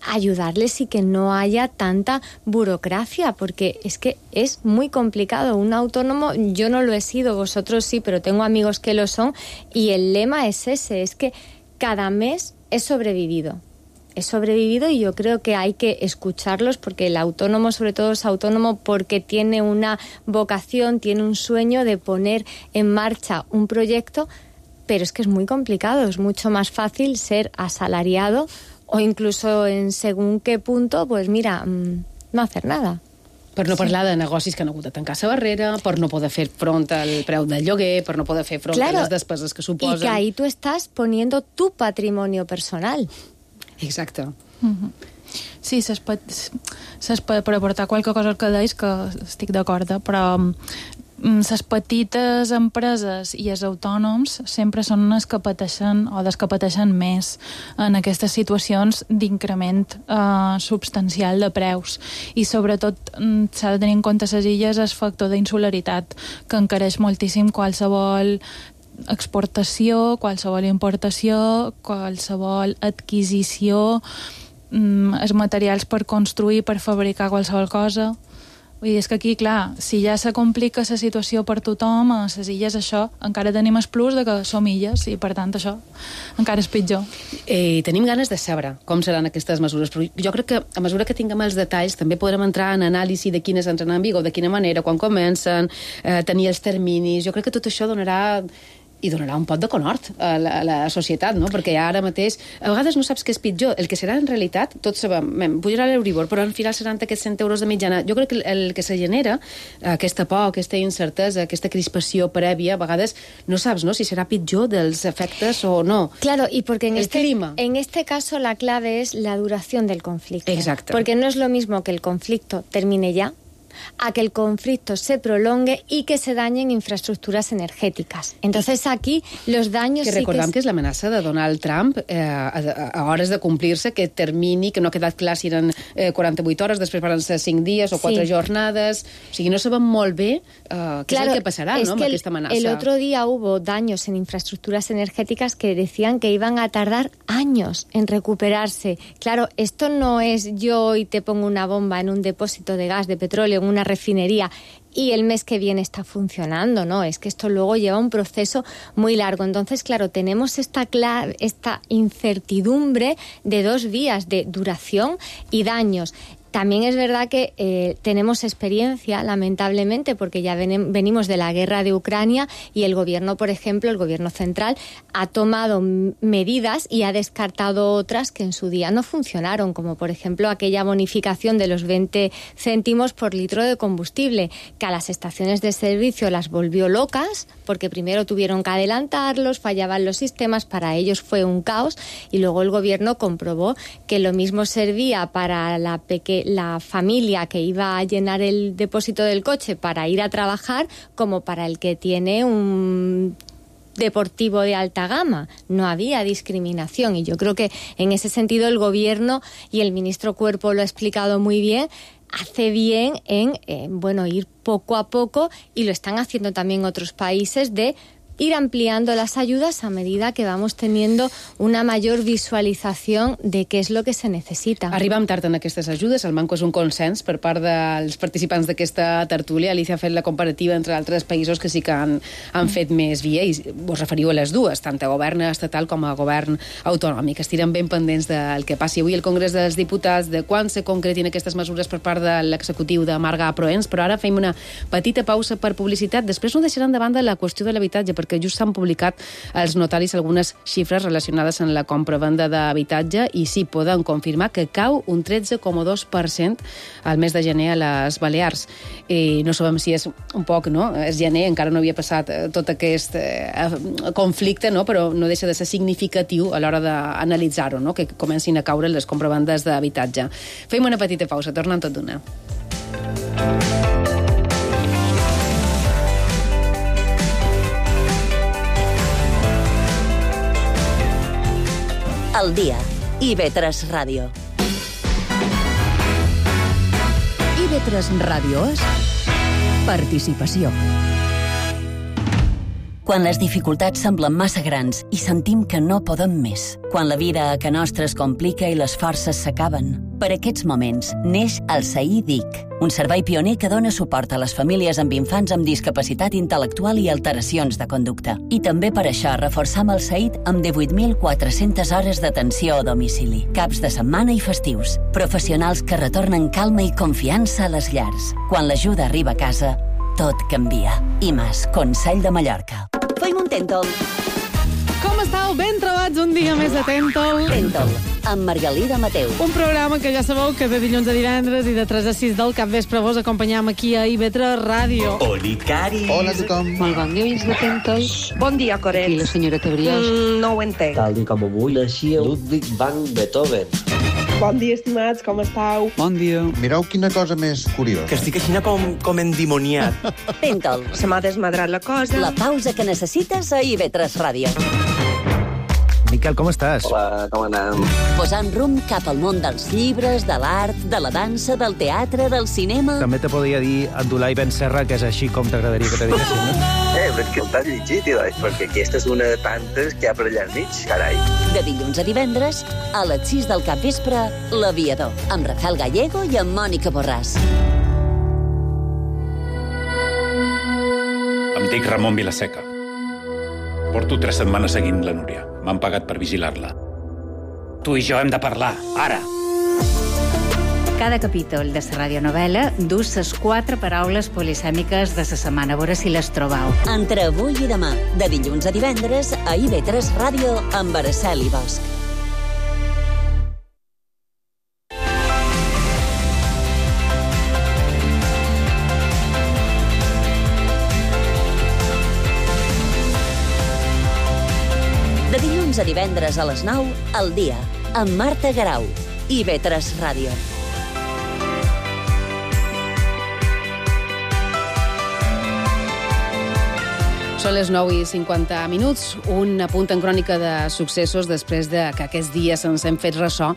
ayudarles y que no haya tanta burocracia, porque es que es muy complicado. Un autónomo, yo no lo he sido, vosotros sí, pero tengo amigos que lo son, y el lema es ese, es que cada mes he sobrevivido. He sobrevivido y yo creo que hay que escucharlos, porque el autónomo sobre todo es autónomo porque tiene una vocación, tiene un sueño de poner en marcha un proyecto, pero es que es muy complicado, es mucho más fácil ser asalariado o incluso en según qué punto, pues mira, no hacer nada. Per no parlar de negocis que han hagut de tancar la barrera, per no poder fer front al preu del lloguer, per no poder fer front claro, a les despeses que suposen. Y que ahí tú estás poniendo tu patrimonio personal. Exacte. Mm-hmm. Sí, ses pot, ses pot, per aportar qualque cosa al que deis, que estic d'acord, però les petites empreses i els autònoms sempre són les que pateixen o les que pateixen més en aquestes situacions d'increment eh, substancial de preus. I sobretot s'ha de tenir en compte les illes el factor d'insularitat, que encareix moltíssim qualsevol exportació, qualsevol importació, qualsevol adquisició, mm, els materials per construir, per fabricar qualsevol cosa. Vull dir, és que aquí, clar, si ja se complica la situació per tothom, a les illes això, encara tenim el plus de que som illes i, per tant, això encara és pitjor. Eh, tenim ganes de saber com seran aquestes mesures, però jo crec que a mesura que tinguem els detalls també podrem entrar en anàlisi de quines entren en vigor, de quina manera, quan comencen, eh, tenir els terminis. Jo crec que tot això donarà i donarà un pot de conhort a la, a la societat, no? Perquè ara mateix a vegades no saps què és pitjor. El que serà en realitat, tots sabem, pujarà l'Euribor, però al final seran aquests cent euros de mitjana. Jo crec que el que se genera, aquesta por, aquesta incertesa, aquesta crispació prèvia, a vegades no saps, no?, si serà pitjor dels efectes o no. Claro, y porque en el este, clima. en este caso la clave es la duración del conflicto. Exacto. Porque no es lo mismo que el conflicto termine ya, a que el conflicto se prolongue y que se dañen infraestructuras energéticas. Entonces aquí los daños... Que sí recordem que, es... que és l'amenaça de Donald Trump eh, a, a hores de complir-se, que termini, que no ha quedat clar si eren eh, quaranta-vuit hores, després van ser cinc dies o quatre sí. jornades. O sigui, no sabem molt bé eh, què claro, és el que passarà, es no, que amb el, aquesta amenaça. El otro día hubo daños en infraestructuras energéticas que decían que iban a tardar años en recuperarse. Claro, esto no es yo y te pongo una bomba en un depósito de gas, de petróleo, en una refinería y el mes que viene está funcionando, ¿no? Es que esto luego lleva un proceso muy largo. Entonces, claro, tenemos esta, clara, esta incertidumbre de dos vías, de duración y daños. También es verdad que eh, tenemos experiencia, lamentablemente, porque ya ven, venimos de la guerra de Ucrania y el gobierno, por ejemplo, el gobierno central, ha tomado medidas y ha descartado otras que en su día no funcionaron, como por ejemplo aquella bonificación de los veinte céntimos por litro de combustible, que a las estaciones de servicio las volvió locas, porque primero tuvieron que adelantarlos, fallaban los sistemas, para ellos fue un caos, y luego el gobierno comprobó que lo mismo servía para la pequeña la familia que iba a llenar el depósito del coche para ir a trabajar como para el que tiene un deportivo de alta gama. No había discriminación y yo creo que en ese sentido el gobierno y el ministro Cuerpo lo ha explicado muy bien. Hace bien en eh, bueno, ir poco a poco, y lo están haciendo también otros países, de ir ampliando las ayudas a medida que vamos teniendo una mayor visualització de què és el que se necessita. Arribem tard en aquestes ajudes, el manco és un consens per part dels participants d'aquesta tertúlia. Alicia ha fet la comparativa entre altres països que sí que han, han fet més via, i vos referiu a les dues, tant a govern estatal com a govern autonòmic. Estirem ben pendents del que passi avui al Congrés dels Diputats, de quan se concretin aquestes mesures per part de l'executiu de Marga Proens, però ara fem una petita pausa per publicitat. Després no deixaran de banda la qüestió de l'habitatge, perquè just s'han publicat als notaris algunes xifres relacionades amb la compra-venda d'habitatge, i sí poden confirmar que cau un tretze coma dos per cent al mes de gener a les Balears. I no sabem si és un poc, no? És gener, encara no havia passat tot aquest eh, conflicte, no? Però no deixa de ser significatiu a l'hora d'analitzar-ho, no? Que comencin a caure les compravendes d'habitatge. Fem una petita pausa, tornem tot d'una. Al dia. i ve tres Ràdio. i ve tres Ràdio és participació. Quan les dificultats semblen massa grans i sentim que no podem més. Quan la vida a ca nostra es complica i les forces s'acaben. Per aquests moments neix el S A I D I C, un servei pioner que dona suport a les famílies amb infants amb discapacitat intel·lectual i alteracions de conducta. I també per això reforçam el S A I D amb divuit mil quatre-centes hores d'atenció a domicili, caps de setmana i festius. Professionals que retornen calma i confiança a les llars. Quan l'ajuda arriba a casa, tot canvia. I Mas, Consell de Mallorca. Feim un Tentol. Com estàu? Ben trobats un dia més de Tentol. Tentol. amb Margalida Mateu. Un programa que ja sabeu que de dilluns a divendres i de tres a sis del capvespre vos acompanyam aquí a I V tres Ràdio. Oli, Cari. Hola a tothom. Molt bon dia, oients atentos. Bon dia, Coret. I la senyora Tebriós. Mm, no ho entenc. Tal i com avui naixia Ludwig van Beethoven. Bon dia, estimats, com estàu? Bon dia. Mireu quina cosa més curiosa. Que estic així com, com endimoniat. Tenta'l. Se m'ha desmadrat la cosa. La pausa que necessites a I V tres Ràdio. Miquel, com estàs? Hola, com anem? Posant rumb cap al món dels llibres, de l'art, de la dansa, del teatre, del cinema... També te podria dir Abdulai Ben Serra, que és així com t'agradaria que te diguessin, no? Eh, però és que t'has llegit, Ilai, perquè aquesta és una de tantes que hi ha per allà al mig, carai. De dilluns a divendres, a les sis del capvespre, L'Aviador, amb Rafael Gallego i amb Mònica Borràs. Em dic Ramon Vilaseca. Porto tres setmanes seguint la Núria. M'han pagat per vigilar-la. Tu i jo hem de parlar, ara. Cada capítol de la radionovel·la du ses quatre paraules polisèmiques de la setmana. A veure si les trobau. Entre avui i demà, de dilluns a divendres, a I V tres Ràdio, amb Araceli Bosch. De dilluns a divendres a les nou, al dia, amb Marta Garau, I V tres Ràdio. Són les nou i cinquanta minuts, un apunt en crònica de successos després de que aquests dies ens hem fet ressò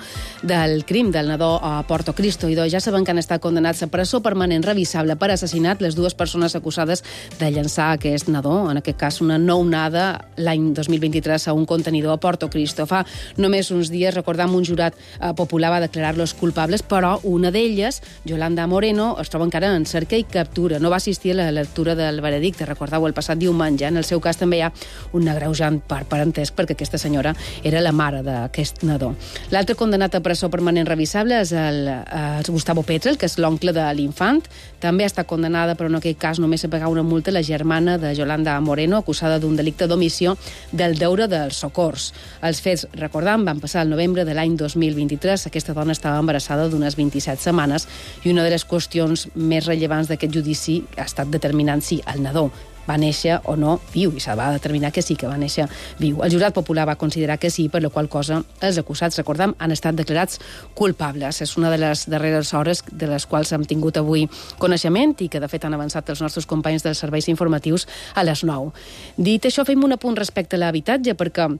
del crim del nadó a Porto Cristo. I ja saben que han estat condenats a presó permanent revisable per assassinat les dues persones acusades de llançar aquest nadó, en aquest cas una nounada, l'any dos mil vint-i-tres a un contenidor a Porto Cristo. Fa només uns dies, recordam, un jurat eh, popular va declarar-los culpables, però una d'elles, Yolanda Moreno, es troba encara en cerca i captura. No va assistir a la lectura del veredicte, recordeu, el passat diumenge. En el seu cas també hi ha un agreujant per parentesc perquè aquesta senyora era la mare d'aquest nadó. L'altre condenat a presó permanent revisable és el, el Gustavo Petrel, que és l'oncle de l'infant. També ha estat condenada, però en aquest cas només a pagar una multa, la germana de Yolanda Moreno, acusada d'un delicte d'omissió del deure dels socors. Els fets, recordam, van passar el novembre de l'any dos mil vint-i-tres. Aquesta dona estava embarassada d'unes vint-i-set setmanes i una de les qüestions més rellevants d'aquest judici ha estat determinant si el nadó va néixer o no viu, i se va determinar que sí, que va néixer viu. El jurat popular va considerar que sí, per la qual cosa els acusats, recordam, han estat declarats culpables. És una de les darreres hores de les quals hem tingut avui coneixement i que, de fet, han avançat els nostres companys dels serveis informatius a les nou. Dit això, fem un apunt respecte a l'habitatge, perquè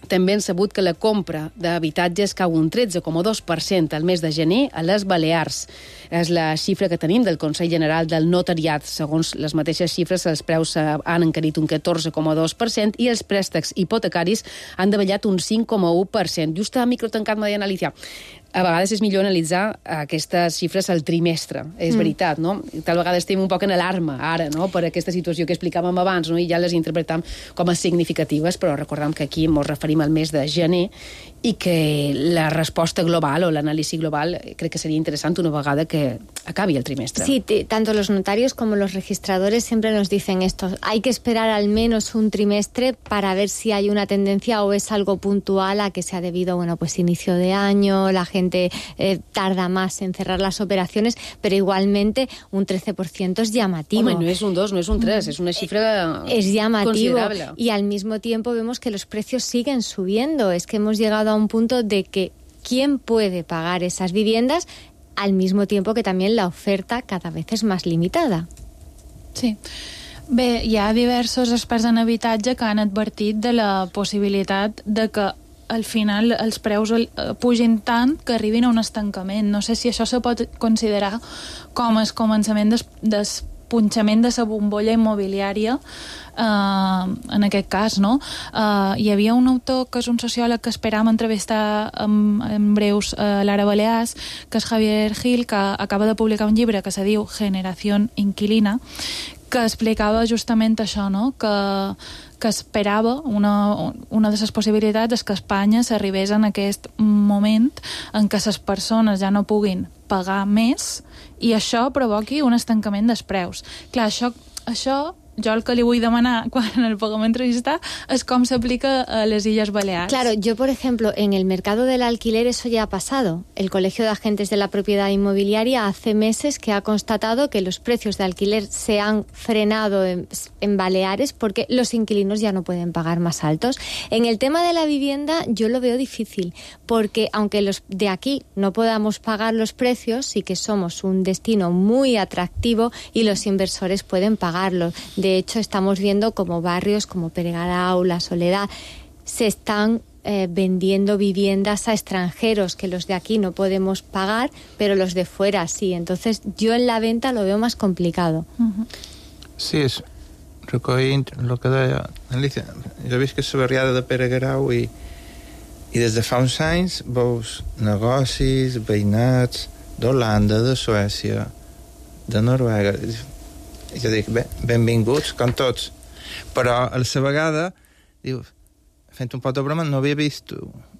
també hem sabut que la compra d'habitatges cau un tretze coma dos per cent al mes de gener a les Balears. És la xifra que tenim del Consell General del Notariat. Segons les mateixes xifres, els preus han encarit un catorze coma dos per cent i els préstecs hipotecaris han davallat un cinc coma u per cent. Just a microtancat m'ha d'analitzar. A vegades és millor analitzar aquestes xifres al trimestre, és mm. veritat, no? Tal vegada estem un poc en alarma ara, no?, per aquesta situació que explicàvem abans, no?, i ja les interpretam com a significatives, però recordem que aquí ens referim al mes de gener i que la resposta global o l'anàlisi global crec que sería interesante una vegada que acabe el trimestre. Sí, tanto los notarios como los registradores siempre nos dicen esto. Hay que esperar al menos un trimestre para ver si hay una tendencia o es algo puntual a que se ha debido, bueno, pues inicio de año, la gente eh, tarda más en cerrar las operaciones, pero igualmente un trece por ciento es llamativo. Hombre, no es un dos, no es un tres, es una cifra es llamativo considerable. Y al mismo tiempo vemos que los precios siguen subiendo. Es que hemos llegado a un punto de que ¿quién puede pagar esas viviendas? Al mismo tiempo que también la oferta cada vez es más limitada. Sí. Bé, hi ha diversos experts en habitatge que han advertit de la possibilitat de que al final els preus pugin tant que arribin a un estancament. No sé si això se pot considerar com el començament des, des punxament de la bombolla immobiliària, eh, en aquest cas, no? Eh, hi havia un autor que és un sociòleg que esperàvem entrevistar en, en breus a l'Ara Balears, que és Javier Gil, que acaba de publicar un llibre que se diu Generación Inquilina, que explicava justament això, no?, que, que esperava, una, una de les possibilitats és que a Espanya s'arribés en aquest moment en què les persones ja no puguin pagar més i això provoqui un estancament dels preus. Clar, això, això jo el que li vull demanar quan el puguem entrevistar és com s'aplica a les Illes Balears. Claro, yo, por ejemplo, en el mercado del alquiler eso ya ha pasado. El Colegio de Agentes de la Propiedad Inmobiliaria hace meses que ha constatado que los precios de alquiler se han frenado en, en Baleares porque los inquilinos ya no pueden pagar más altos. En el tema de la vivienda yo lo veo difícil, porque aunque los de aquí no podamos pagar los precios, sí que somos un destino muy atractivo y los inversores pueden pagarlo. De hecho, estamos viendo como barrios como Peregarau, La Soledad, se están eh, vendiendo viviendas a extranjeros que los de aquí no podemos pagar, pero los de fuera sí. Entonces, yo en la venta lo veo más complicado. Uh-huh. Sí, és recollint el que deia Alicia. Jo visc a la barriada de Peregarau i, i des de fa uns anys veus negocis, veïnats d'Holanda, de Suècia, de Noruega. Jo dic, bé, benvinguts, com tots. Però a la vegada, diu, fent un pot de broma, no havia vist,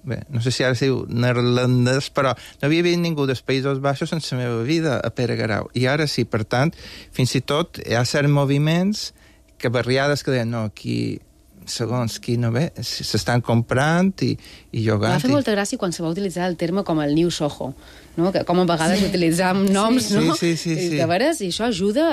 bé, no sé si ara es diu neerlandès, però no havia vist ningú dels Països Baixos en la meva vida a Peregarau. I ara sí, per tant, fins i tot hi ha certs moviments que barriades que deien, no, aquí segons qui no ve, s'estan comprant i, i llogant. M'ha fet molta gràcia quan se va utilitzar el terme com el New Soho, no? Que com a vegades sí. utilitzam noms, sí. no? Sí, sí, sí, sí. De veres, i això ajuda,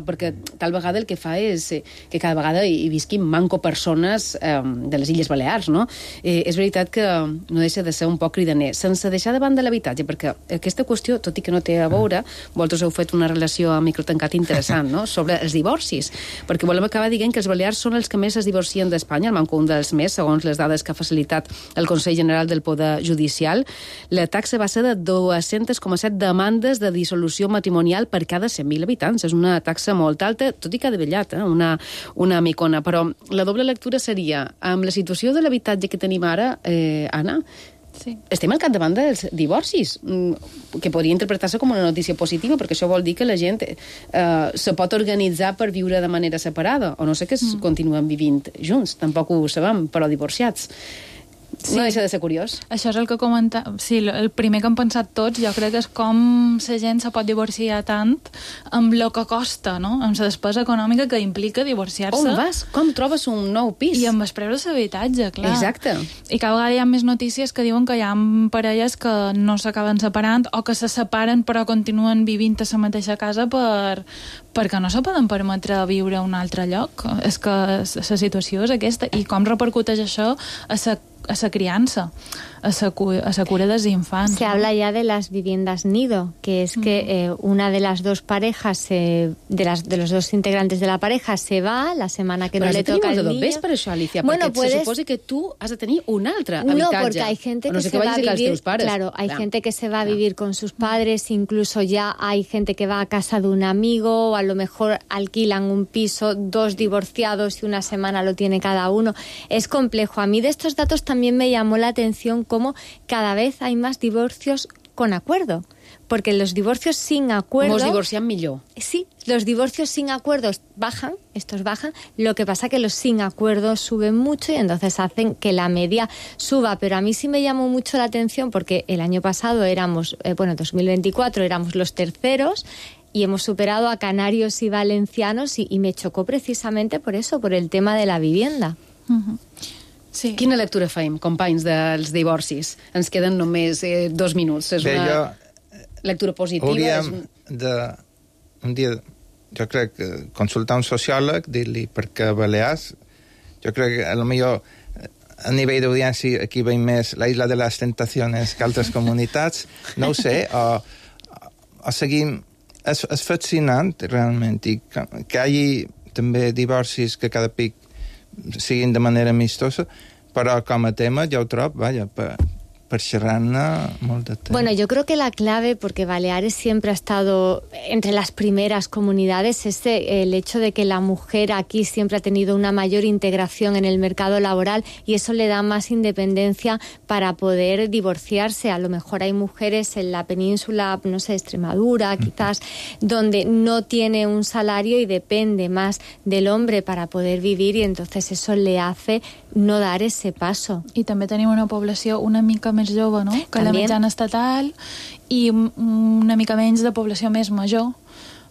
perquè tal vegada el que fa és que cada vegada hi visquin manco persones eh, de les Illes Balears, no? Eh, és veritat que no deixa de ser un poc cridaner, sense deixar de banda l'habitatge, perquè aquesta qüestió, tot i que no té a veure, vosaltres heu fet una relació a microtancat interessant, no? Sobre els divorcis, perquè volem acabar dient que els balears són els que més es divorcien d'Espanya, el manco un dels més, segons les dades que ha facilitat el Consell General del Poder Judicial. La taxa va ser de dos-cents coma set demandes de dissolució matrimonial per cada cent mil habitants. És una taxa molt alta, tot i que ha davallat, eh? una, una micona. Però la doble lectura seria, amb la situació de l'habitatge que tenim ara, eh, Anna, sí. estem al capdavant dels divorcis, que podria interpretar-se com una notícia positiva, perquè això vol dir que la gent eh, se pot organitzar per viure de manera separada, o no sé que es mm. continuen vivint junts, tampoc ho sabem, però divorciats. Sí. No deixa de ser curiós. Això és el que comenta... Sí, el primer que hem pensat tots, jo crec que és com la gent se pot divorciar tant amb el que costa, no? Amb la despesa econòmica que implica divorciar-se. On vas? Com trobes un nou pis? I amb els preus de l'habitatge, clar. Exacte. I cada vegada hi ha més notícies que diuen que hi ha parelles que no s'acaben separant o que se separen però continuen vivint a la mateixa casa per, perquè no se poden permetre viure a un altre lloc. És que la situació és aquesta. I com repercuteix això a la a la crianza, a la a cura dels infants. Se ¿no? habla ya de las viviendas nido, que es que eh, una de las dos parejas, eh, de, las, de los dos integrantes de la pareja se va la semana que Però no le toca al niño. Ves per això, Alicia, bueno, perquè puedes... se suposa que tu has de tenir un altre habitatge. No, porque hay gente que no sé se va a vivir, claro, hay claro. gente que se va a vivir con sus padres, incluso ya hay gente que va a casa de un amigo, o a lo mejor alquilan un piso, dos divorciados y una semana lo tiene cada uno. Es complejo. A mí de estos datos también me llamó la atención cómo cada vez hay más divorcios con acuerdo. Porque los divorcios sin acuerdo... Mos divorcian millor. Sí, los divorcios sin acuerdos bajan, estos bajan, lo que pasa que los sin acuerdo suben mucho y entonces hacen que la media suba. Pero a mí sí me llamó mucho la atención porque el año pasado éramos, eh, bueno, dos mil veinticuatro éramos los terceros y hemos superado a canarios y valencianos y, y me chocó precisamente por eso, por el tema de la vivienda. Uh-huh. Sí. Quina lectura faim, companys dels divorcis? Ens queden només eh, dos minuts. És Bé, una jo, lectura positiva. Hauríem és un... de, un dia, jo crec, que consultar un sociòleg, dir-li perquè a Balears, jo crec que a lo millor a nivell d'audiència aquí veiem més la Isla de les Tentaciones que altres comunitats, no ho sé, o, o seguim... És, és fascinant, realment, i que, que hi hagi també divorcis que cada pic siguin de manera amistosa, però com a tema jo ho trobo, vaja, per, per xerrar-ne molt de temps. Bueno, yo creo que la clave, porque Baleares siempre ha estado entre las primeras comunidades, es el hecho de que la mujer aquí siempre ha tenido una mayor integración en el mercado laboral y eso le da más independencia para poder divorciarse. A lo mejor hay mujeres en la península, no sé, Extremadura, quizás, donde no tiene un salario y depende más del hombre para poder vivir y entonces eso le hace no dar ese paso. I també tenim una població una mica més jove, no? Que la mitjana estatal i una mica menys de població més major,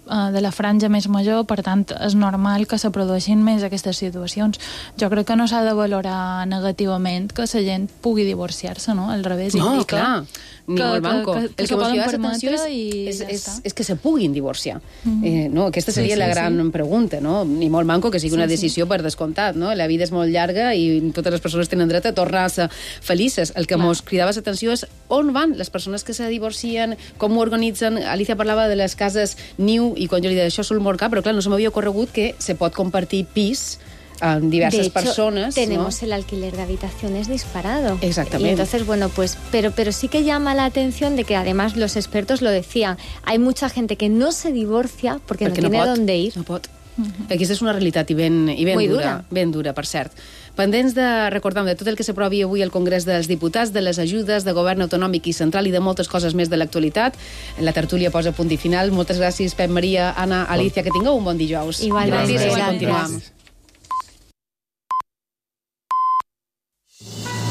uh, de la franja més major, per tant, és normal que se produeixin més aquestes situacions. Jo crec que no s'ha de valorar negativament que la gent pugui divorciar-se, no? Al revés, no, indica clar, ni que, molt manco. Que, que, que el que se mos poden crida permetre l'atenció és, i és, ja és, està. és que se puguin divorciar. Mm. Eh, no, aquesta seria sí, la sí, gran sí. pregunta, no? Ni molt manco que sigui Sí, una sí. decisió per descomptat, no? La vida és molt llarga i totes les persones tenen dret a tornar-se felices. El que Clar. mos cridava l'atenció és on van les persones que se divorcien, com ho organitzen. Alicia parlava de les cases niu i quan jo li deia això sul molt car, però clar, no se m'havia ocorregut que se pot compartir pis amb diverses de hecho, personas. tenemos ¿no? el alquiler de habitaciones disparado. Exactamente. Y entonces, bueno, pues, pero, pero sí que llama la atención de que además los expertos lo decían, hay mucha gente que no se divorcia porque, Perquè no tiene no pot, dónde ir. No pot. Uh-huh. Aquesta és una realitat i ben, i ben Muy dura, dura. ben dura, per cert. Pendents de, recordem, de tot el que s'aprovi avui al Congrés dels Diputats, de les ajudes de govern autonòmic i central i de moltes coses més de l'actualitat. La tertúlia posa punt i final. Moltes gràcies, Pep Maria, Anna, Alicia, que tingueu un bon dijous. Igualment. Gràcies, Gràcies. continuam.